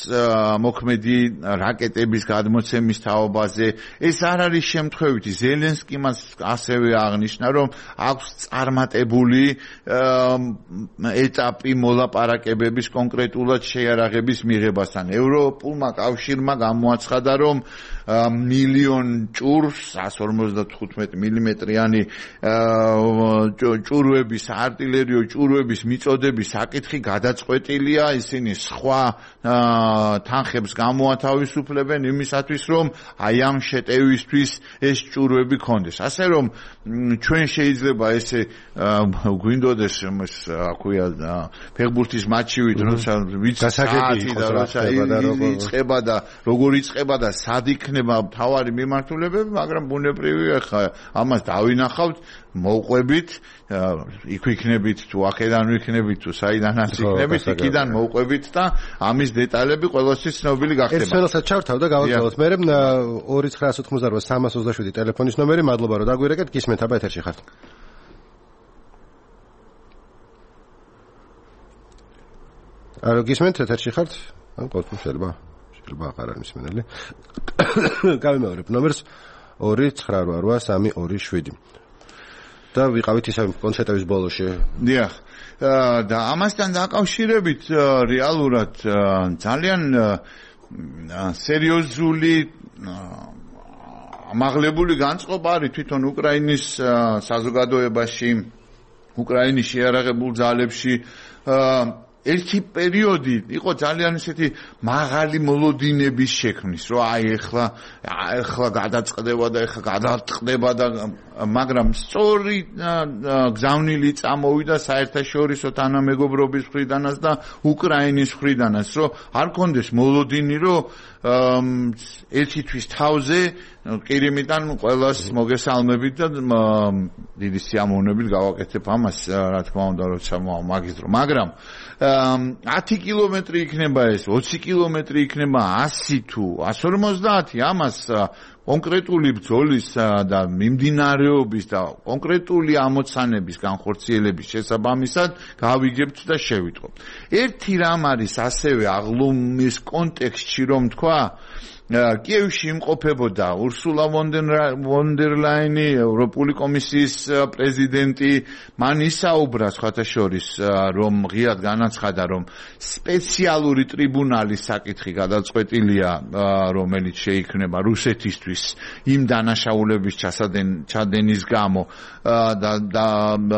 მოქმედი რაკეტების გადმოცემის თაობაზე ეს არ არის შემთხვევითი ზელენსკიმ ასევე აღნიშნა რომ აქვს წარმატებული ეტაპი მოლაპარაკებების კონკრეტულად შეიარაღების მიღებასთან ევროპულმა კავშირმა გამოაცხადა რომ მილიონ ჭურს εκατს ორმოცდათხუთმეტი მილიმეტრიანი ჭურვების артиლერიო ჭურვების მიწოდების საკითხი გადაწყვეტილია ისინი სხვა თანხებს გამოათავისუფლებენ იმისათვის რომ აი ამ შეტევისთვის ეს ჭურვები კონდეს ასე რომ ჩვენ შეიძლება ესე გვინდოდეს აქვია ფეხბურთის მატჩივით როცა ვიცასაკები და როცა იწყება და როგორ იწყება და სად იქნება თავარი მიმართულებები მაგრამ ბუნებრივია ხა ამას დავინახავთ მოვყვებით იქ ვიქნებით თუ აქედან ვიქნებით თუ საიდანაც ვიქნებით იქიდან მოვყვებით და ამის დეტალები ყველასთვის ცნობილი გახდება. ეს ყველასაც ჩავთავ და გავაგზავნოთ. მე ორი ცხრაას ოთხმოცდაოთხ სამას ოცდაშვიდი ტელეფონის ნომერი. მადლობა რომ დაგვირეკეთ. გისმენთ აბა ეთერში ხართ. ალო გისმენთ ეთერში ხართ? ან ყოველთვის შეიძლება შეიძლება აღარ არის მსმენელი. გავიმეორებ ნომერს ორი ცხრა რვა სამი ორი შვიდი. და ვიყავით ისე კონცერტების ბოლოში. დიახ. და ამასთან დაკავშირებით რეალურად ძალიან სერიოზული ამაღლებული განწყობა არის თვითონ უკრაინის საზოგადოებაში, უკრაინის შეიარაღებულ ძალებში ერთი პერიოდი იყო ძალიან ისეთი მაღალი მოლოდინების შექმნის, რომ აი ეხლა ეხლა გადაწყდება და ეხლა გადაწყდება და მაგრამ სწორი გზავნილი წამოვიდა საერთაშორისო თანამეგობრობის მხრიდანაც და უკრაინის მხრიდანაც, რომ არ კონდეს მოლოდინი, რომ ერთი თვის თავზე ყირიმიდან ყველას მოგესალმებით და დიდი სიამოვნებით გავაკეთებ ამას, რა თქმა უნდა, როცა მაგისტრო, მაგრამ ათი კილომეტრი იქნება ეს, ოცი კილომეტრი იქნება ასი თუ εκατს ორმოცდაათი ამას კონკრეტული ბრძოლის და მიმდინარეობის და კონკრეტული ამოცანების განხორციელების შესაბამისად გავიგებთ და შევიტყობ. ერთი რამ არის ასევე აღლუმის კონტექსტში რომ თქვა კიევში იმყოფებოდა ურსულა ვონ დერ ლაინი, ევროპული კომისიის პრეზიდენტი, მან ისაუბრა სხვათა შორის, რომ ღიად განაცხადა, რომ სპეციალური ტრიბუნალის საკითხი გადაწყვეტილია, რომელიც შეიქმნება რუსეთისთვის იმ დანაშაულების ჩადენის გამო და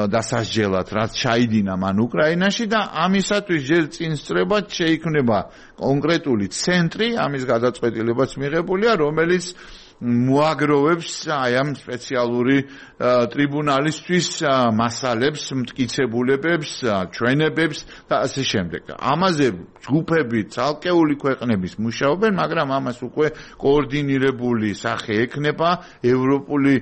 დასასჯელად, რაც ჩაიდინა მან უკრაინაში და ამისათვის ჯერ წინ სწრებად შეიქმნება კონკრეტული ცენტრი, ამის გადაწყვეტილებაც მიღებულია, რომელიც მოაგროვებს აი ამ სპეციალური ტრიბუნალისთვის მასალებს, მტკიცებულებებს, ჩვენებებს და ასე შემდეგ. ამაზე ჯგუფები, ცალკეული ქვეყნების მუშაობენ, მაგრამ ამას უკვე კოორდინირებული სახე ექნება ევროპული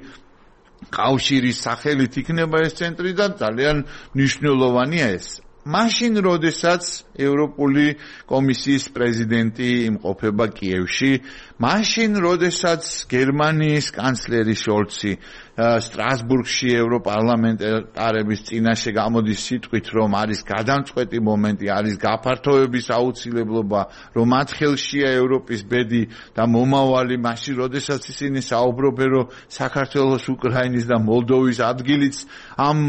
კავშირის სახელით იქნება ეს ცენტრი და ძალიან მნიშვნელოვანია ეს. მაშინ, როდესაც ევროპული კომისიის პრეზიდენტი იმყოფება კიევში, მაშინ, როდესაც გერმანიის კანცლერი შოლცი სტრასბურგში ევროპარლამენტარების წინაშე გამოდის სიტყვით, რომ არის გადამწყვეტი მომენტი, არის გაფართოების აუცილებლობა, რომ მათ ხელშია ევროპის ბედი და მომავალი, მაშინ, როდესაც ისინი საუბრობენ, რომ საქართველოს, უკრაინის და მოლდოვის ადგილიც ამ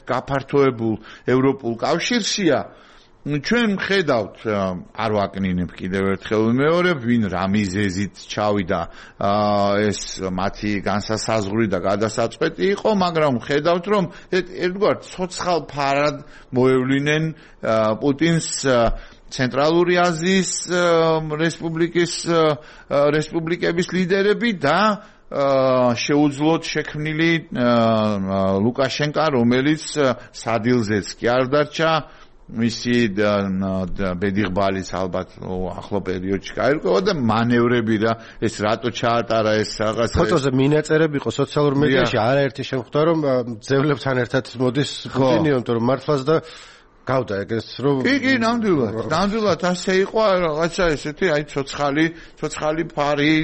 გაფართოებულ ევროპულ კავშირშია, ჩვენ ხედავთ, არ ვაკნინებ კიდევ ერთხელ ვიმეორებ, ვინ რა მიზეზით ჩავიდა ეს მათი განსასაზღვრი და გადასაწყვეტი იყო, მაგრამ ხედავთ, რომ ერთგვარ ცოცხალ ფარად მოევლინენ პუტინს ცენტრალური აზიის რესპუბლიკის რესპუბლიკების ლიდერები და შეუძლოდ შექმნილი ლუკაშენკა, რომელიც სადილზეც კი არ დარჩა, მისი ბედიღბალის ალბათ ახლო პერიოდში გაირკვევა და მანევრები და ეს რატო ჩაატარა ეს რაღაც ფოტოზე მინაწერები იყო სოციალურ მედიაში, არაერთი შემხვდა რომ ძევლებთან ერთად მოდის პუტინი, რომ მართლაც და გავდა ეგრეს რომ კი კი ნამდვილად ნამდვილად ასე იყო რაღაცა ესეთი აი ცოცხალი ცოცხალი ფარი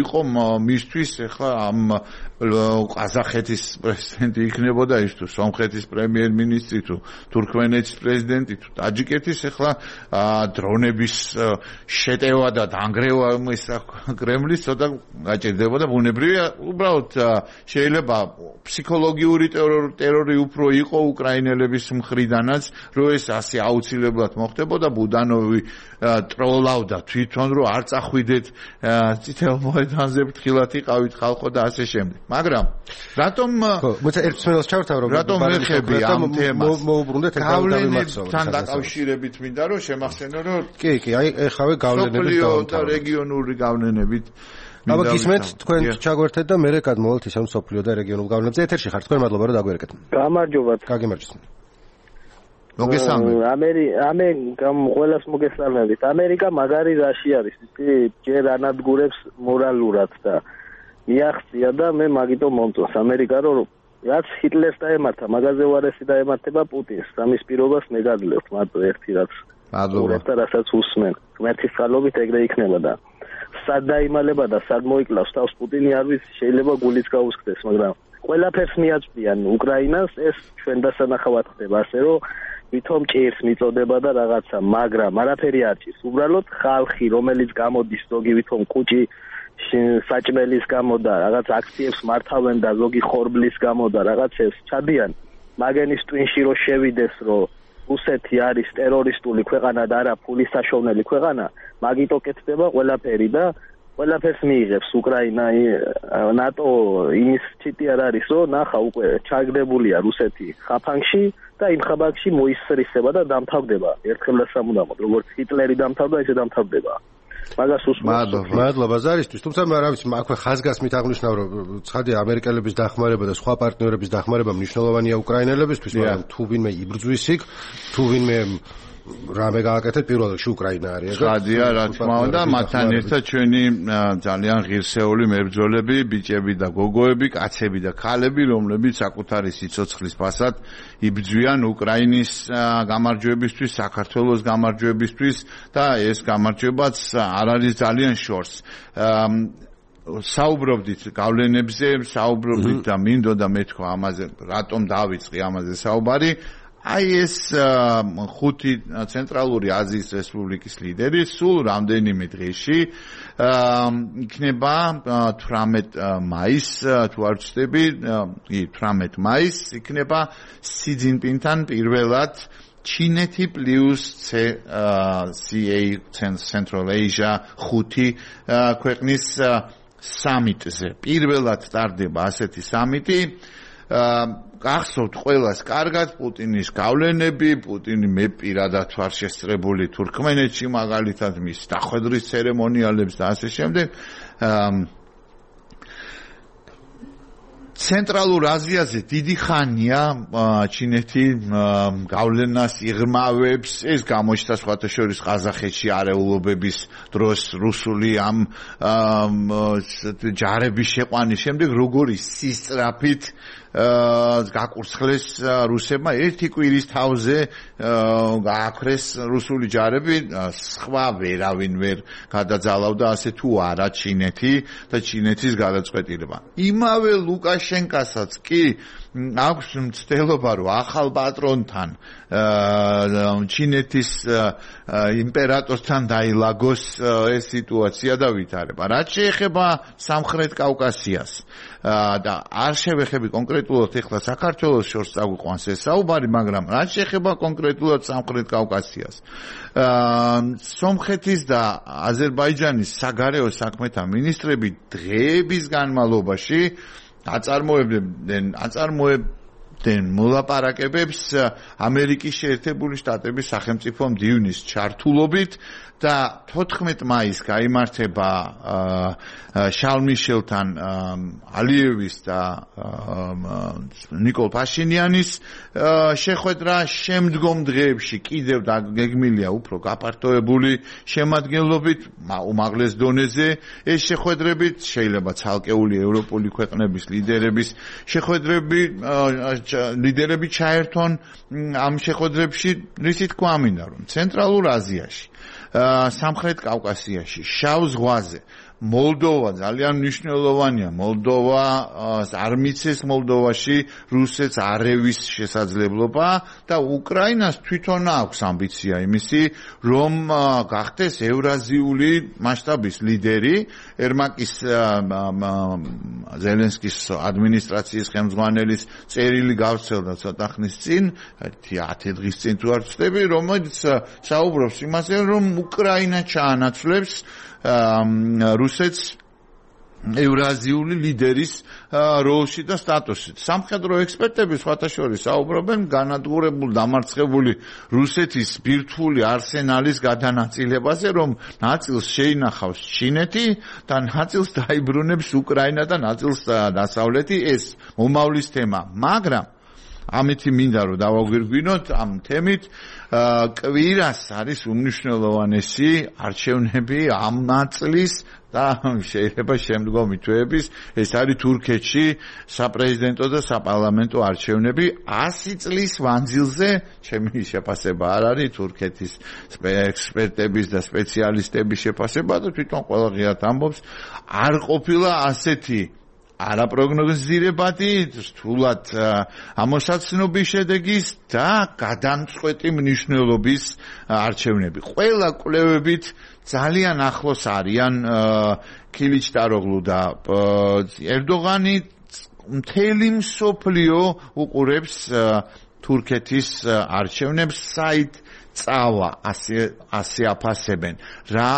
იყო მისთვის ახლა ამ ყაზახეთის პრეზიდენტი იქნებოდა ის თუ სომხეთის პრემიერ-მინისტრი თუ თურქმენეთის პრეზიდენტი თუ ტაჯიკეთის ახლა დრონების შეტევა და დანგრევა ის კრემლის ცოტა გაჭირდებოდა ბუნებრივია უბრალოდ შეიძლება ფსიქოლოგიური ტერორი უფრო იყო უკრაინელების მხრიდანაც რომ ეს ასე აუცილებლად მოხდებოდა ბუდანოვი ტროლავდა თვითონ რომ არ წახვიდეთ წითელ მოედანზე ფრთხილად იყავით ხალხო და ასე შემდეგ მაგრამ რატომ მოიცა ერთ მსმენელს ჩავთავ რომ რატომ ეხები ამ თემას მოუბრუნდეთ გავლენებთან დაკავშირებით მინდა რომ შემახსენო რომ კი კი აი ეხავე გავლენების და რეგიონული გავლენებით აბა გისმენთ თქვენ ჩაგვერთეთ და მე გადმოვალთ ისევ სოფლიო და რეგიონულ გავლენებზე ეთერში ხართ თქვენ მადლობა რომ დაგვერეკეთ გამარჯობათ გაგიმარჯოს მოგესალმებით ამერი ამე გამ ყველას მოგესალმებით ამერიკა მაგარი რაში არის ისი ჯერ ანადგურებს მორალურად და მიაღწია და მე მაგიტომ მომწონს ამერიკა რომ რაც ჰიტლერს დაემართა მაგაზე უარესი დაემართება პუტინს ამის პირობას მე გადლევთ მარტო ერთი რაც მადლობა და რასაც უსმენ ღმერთის წყალობით ეგრე იქნება და სად დაიმალება და სად მოიკლავს თავს პუტინი არ ვიცი შეიძლება გულიც გაუსკდეს მაგრამ ყველაფერს მიაწვდიან უკრაინას ეს ჩვენ დასანახავად ხდება ასე რომ ვითომ ჭირს მიწოდება და რაღაცა მაგრამ არაფერი არ ჭირს უბრალოდ ხალხი რომელიც გამოდის ზოგი ვითომ კუჭი საჭმელის გამო და რაღაც აქციებს მართავენ და ზოგი ხორბლის გამო და რაღაცებს ჩადიან მაგენის ტვინში რო შევიდეს რომ რუსეთი არის ტერორისტული ქვეყანა და არა ფულის საშოვნელი ქვეყანა მაგიტო კეთდება ყველაფერი და ყველაფერს მიიღებს უკრაინა ნატო იმის ჩიტი არ არის რომ ნახა უკვე ჩაგდებულია რუსეთი ხაფანგში და იმ ხაბაგში მოისრისება და დამთავრდება ერთხელ და სამუდამოდ როგორც ჰიტლერი დამთავრდა ესე დამთავრდება მაგას უსმენთ მადლობა ზარისთვის თუმცა რა ვიცი აქვე ხაზგასმით აღნიშნავ რომ ცხადია ამერიკელების დახმარება და სხვა პარტნიორების დახმარება მნიშვნელოვანია უკრაინელებისთვის მაგრამ თუ ვინმე იბრძვის იქ თუ ვინმე რამე გააკეთეთ პირველ რიგში უკრაინა არის ეგ ხადია რა თქმა უნდა მათთან ერთად ჩვენი ძალიან ღირსეული მებრძოლები ბიჭები და გოგოები კაცები და ქალები რომლებიც საკუთარი სიცოცხლის ფასად იბრძვიან უკრაინის გამარჯვებისთვის საქართველოს გამარჯვებისთვის და ეს გამარჯვებაც არ არის ძალიან შორს საუბრობდით გავლენებზე საუბრობდით და მინდოდა მეთქვა ამაზე რატომ დავიწყე ამაზე საუბარი აი ეს ხუთი ცენტრალური აზიის რესპუბლიკის ლიდერი სულ რამდენიმე დღეში იქნება თვრამეტ მაისს თუ არ ვცდები კი თვრამეტ მაისს იქნება სი ძინპინთან პირველად ჩინეთი პლუს სი ეი Central Asia ხუთი ქვეყნის სამიტზე პირველად ტარდება ასეთი სამიტი გახსოვთ ყველას კარგად პუტინის გავლენები პუტინი მე პირადად ვარ შესწრებული თურქმენეთში მაგალითად მის დახვედრის ცერემონიალებს და ასე შემდეგ ცენტრალურ აზიაზე დიდი ხანია ჩინეთი გავლენას იღრმავებს, ეს გამოჩნდა სხვათა შორის ყაზახეთში არეულობების დროს რუსული ამ ჯარების შეყვანის შემდეგ როგორი სისწრაფით გაკურცხლეს რუსებმა ერთი კვირის თავზე გააქრეს რუსული ჯარები, სხვა ვერავინ ვერ გადაძალავდა ასე თუ არა ჩინეთი და ჩინეთის გადაწყვეტილება. იმავე ლუკაშენკასაც კი აქვს მცდელობა, რომ ახალ პატრონთან ჩინეთის იმპერატორთან დაილაგოს ეს სიტუაცია და ვითარება. რაც შეეხება სამხრეთ კავკასიას და არ შევეხები კონკრეტულად ეხლა საქართველოს შორს წაგვიყვანს ეს საუბარი, მაგრამ რაც შეეხება კონკრეტულად სამხრეთ კავკასიას, სომხეთის და აზერბაიჯანის საგარეო საქმეთა მინისტრები დღეების განმავლობაში აწარმოებდნენ აწარმოებდნენ მოლაპარაკებებს ამერიკის შეერთებული შტატების სახელმწიფო მდივნის ჩართულობით და თოთხმეტ მაისს გაიმართება შარლ-მიშელთან ალიევის და ნიკოლ ფაშინიანის შეხვედრა. შემდგომ დღეებში კიდევ გეგმილია უფრო გაფართოებული შემადგენლობით უმაღლეს დონეზე ეს შეხვედრები, შეიძლება ცალკეული ევროპული ქვეყნების ლიდერების შეხვედრები ლიდერები ჩაერთონ ამ შეხვედრებში, რითი თქვა ამინდა, რომ ცენტრალურ აზიაში, სამხრეთ კავკასიაში, შავ ზღვაზე მოლდოვა ძალიან მნიშვნელოვანია. მოლდოვა არ მიცეს მოლდოვაში რუსეთს არევის შესაძლებლობა და უკრაინას თვითონ აქვს ამბიცია იმისი, რომ გახდეს ევრაზიული მასშტაბის ლიდერი. ერმაკის ზელენსკის ადმინისტრაციის ხელმძღვანელის წერილი გავრცელდა ცოტა ხნის წინ, ათი დღის წინ თუ არ ვცდები, რომელიც საუბრობს იმაზე, რომ უკრაინა ჩაანაცვლებს რუსეთს ევრაზიული ლიდერის როლში და სტატუსით. სამხედრო ექსპერტები სხვათა შორის საუბრობენ განადგურებული დამარცხებული რუსეთის ბირთვული არსენალის გადანაწილებაზე, რომ ნაწილს შეინახავს ჩინეთი და ნაწილს დაიბრუნებს უკრაინა და ნაწილს დასავლეთი. ეს მომავლის თემა, მაგრამ ამითი მინდა რომ დავაგვირგვინოთ ამ თემით. კვირას არის უმნიშვნელოვანესი არჩევნები ამ ნაწლის და შეიძლება შემდგომი თვეების, ეს არის თურქეთში საპრეზიდენტო და საპარლამენტო არჩევნები ასი წლის მანძილზე. ჩემი შეფასება არ არის თურქეთის ექსპერტების და სპეციალისტების შეფასება და თვითონ ყველა ღიად ამბობს, არ ყოფილა ასეთი არაპროგნოზირებადი, რთულად ამოსაცნობის შედეგის და გადამწყვეტი მნიშვნელობის არჩევნები. ყველა კვლევებით ძალიან ახლოს არიან ქილიჩდაროღლუ და ერდოღანი. მთელი მსოფლიო უყურებს თურქეთის არჩევნებს, საით წავა ასე აფასებენ, რა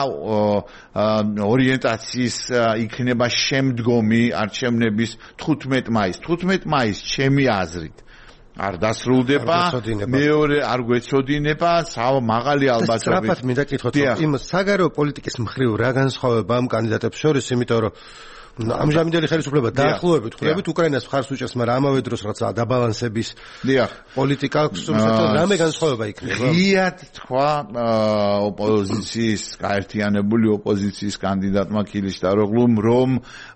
ორიენტაციის იქნება შემდგომი არჩევნების თხუთმეტ მაისს. თხუთმეტ მაისს ჩემი აზრით არ დასრულდება, მეორე არ გვეცოდინება, მაღალი ალბათობით. სწრაფად მინდა კითხოთ, იმ საგარეო პოლიტიკის მხრივ რა განსხვავება ამ კანდიდატებს შორის, იმიტომ რომ ამჟამინდელი ხელისუფლება დაახლოებით ხვდებით უკრაინას მხარს უჭერს, მაგრამ ამავე დროს რაღაცა დაბალანსების პოლიტიკა აქვს, რამე განსხვავება იქნება? ღიად თქვა ოპოზიციის, გაერთიანებული ოპოზიციის კანდიდატმა ქილიჩდაროღლუმ, რომ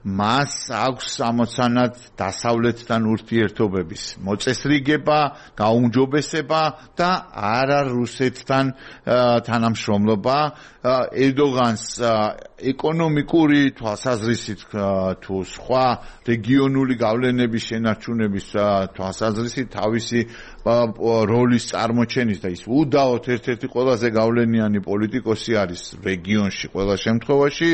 მას აქვს ამოცანად დასავლეთთან ურთიერთობების მოწესრიგება, გაუმჯობესება და არა რუსეთთან თანამშრომლობა. ერდოღანს ეკონომიკური თვალსაზრისით თუ სხვა რეგიონული გავლენების შენარჩუნების თვალსაზრისით თავისი როლის წარმოჩენის და ის უდაოდ ერთ-ერთი ყველაზე გავლენიანი პოლიტიკოსი არის რეგიონში ყველა შემთხვევაში.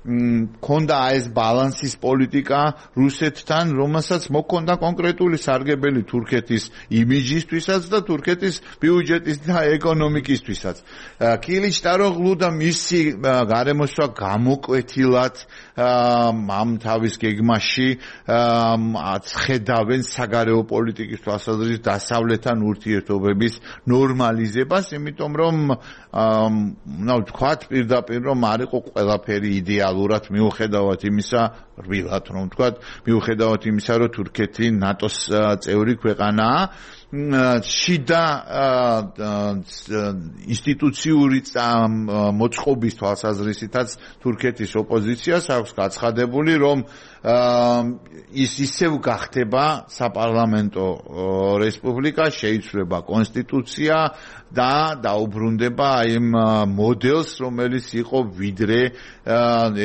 მქონდა ეს ბალანსის პოლიტიკა რუსეთთან, რომელსაც მოქონდა კონკრეტული სარგებელი თურქეთის იმიჯისთვისაც და თურქეთის ბიუჯეტის და ეკონომიკისთვისაც. ქილიჩდაროღლუ და მისი გარემოსვა გამოკვეთილად ამ თავის გეგმაში ხედავენ საგარეო პოლიტიკის თვალსაზრისით დასავლეთთან ურთიერთობების ნორმალიზებას, იმიტომ რომ ნუ ვთქვათ პირდაპირ რომ არ იყო ყველაფერი იდეალური რეალურად მიუხედავად იმისა, რბილად რომ ვთქვათ, მიუხედავად იმისა, რომ თურქეთი ნატოს წევრი ქვეყანაა, შიდა ინსტიტუციური მოწყობის თვალსაზრისითაც თურქეთის ოპოზიციას აქვს გაცხადებული, რომ ის ისევ გახდება საპარლამენტო რესპუბლიკა, შეიცვლება კონსტიტუცია და დაუბრუნდება იმ მოდელს, რომელიც იყო ვიდრე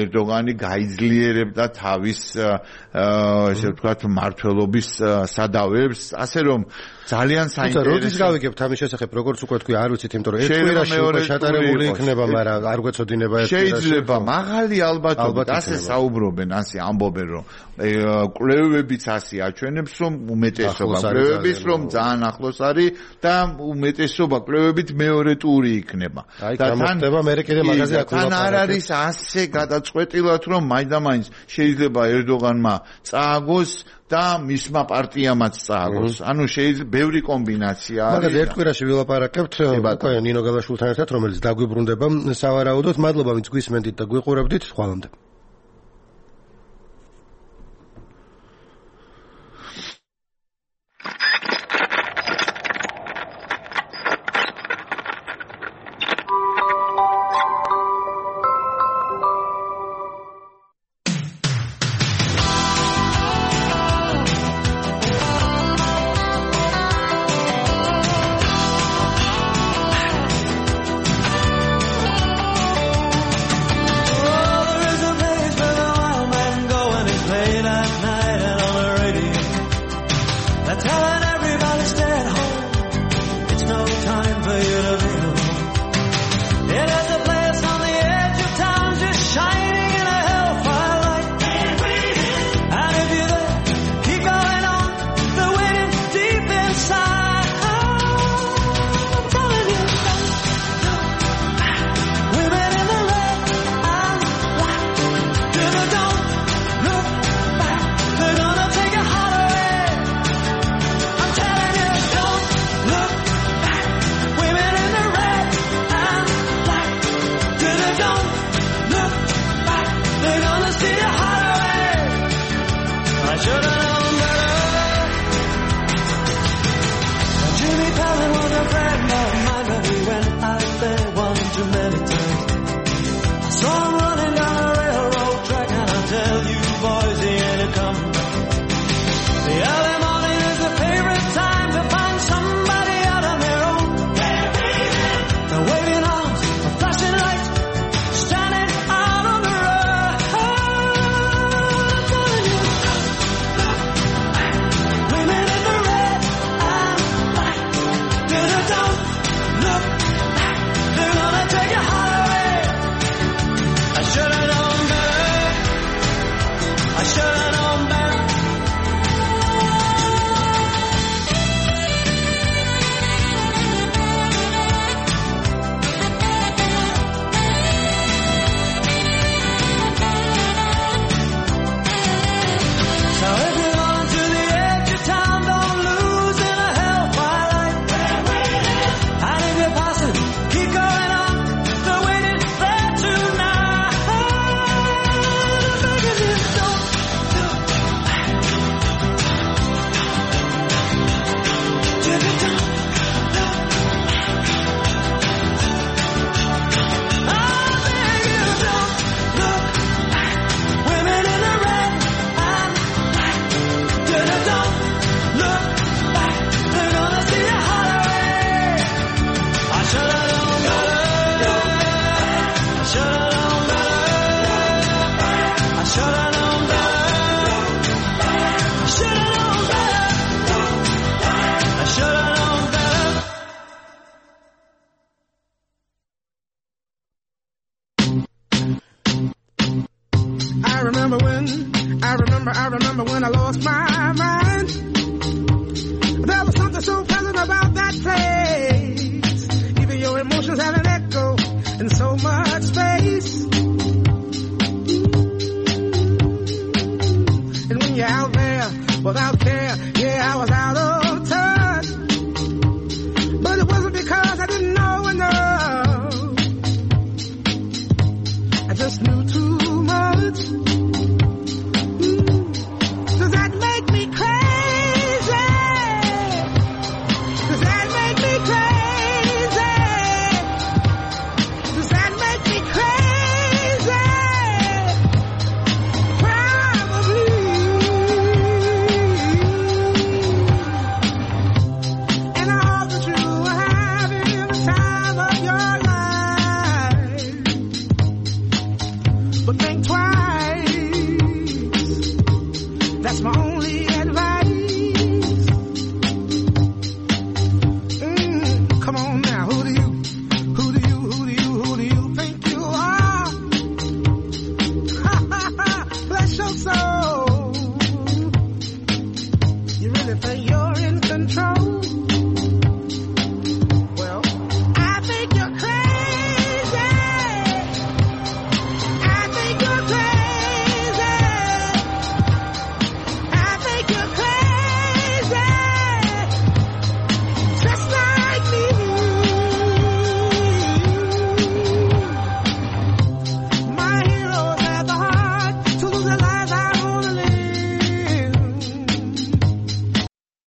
ერდოგანი გაიძლიერებდა თავის ესე ვთქვათ მმართველობის სადავეებს, ასე რომ ძალიან საინტერესო. როდის გავიგებთ ამის შესახებ, როგორც უკვე თქვი, არ ვიცით, იმიტომ რომ ერთ კვირაში უკვე ჩატარებული იქნება, მაგრამ არ გვეცოდინება ერთ კვირაში. შეიძლება მაღალი ალბათობით ასე საუბრობენ, ასე ამბობენ, რომ კვლევებიც ასე აჩვენებს, რომ უმეტესობა კვლევების რომ ძალიან ახლოს არის და უმეტესობა კვლევებით მეორე ტური იქნება. და მოხდება მე კიდე მაგაზე აქ თან არ არის ასე გადაწყვეტილად, რომ მაინდა-მაინც შეიძლება ერდოგანმა წააგოს და მისმა პარტიამაც წააგოს. ანუ შეიძლება ბევრი კომბინაცია არის. მაგაზე ერთ კვირაში ვილაპარაკებთ უკვე ნინო გალაშვილთან ერთად, რომელიც დაგვიბრუნდება სავარაუდოდ. მადლობა, ვინც გვისმენდით და გვიყურებდით. ხვალამდე. I just knew too much. anything, you're in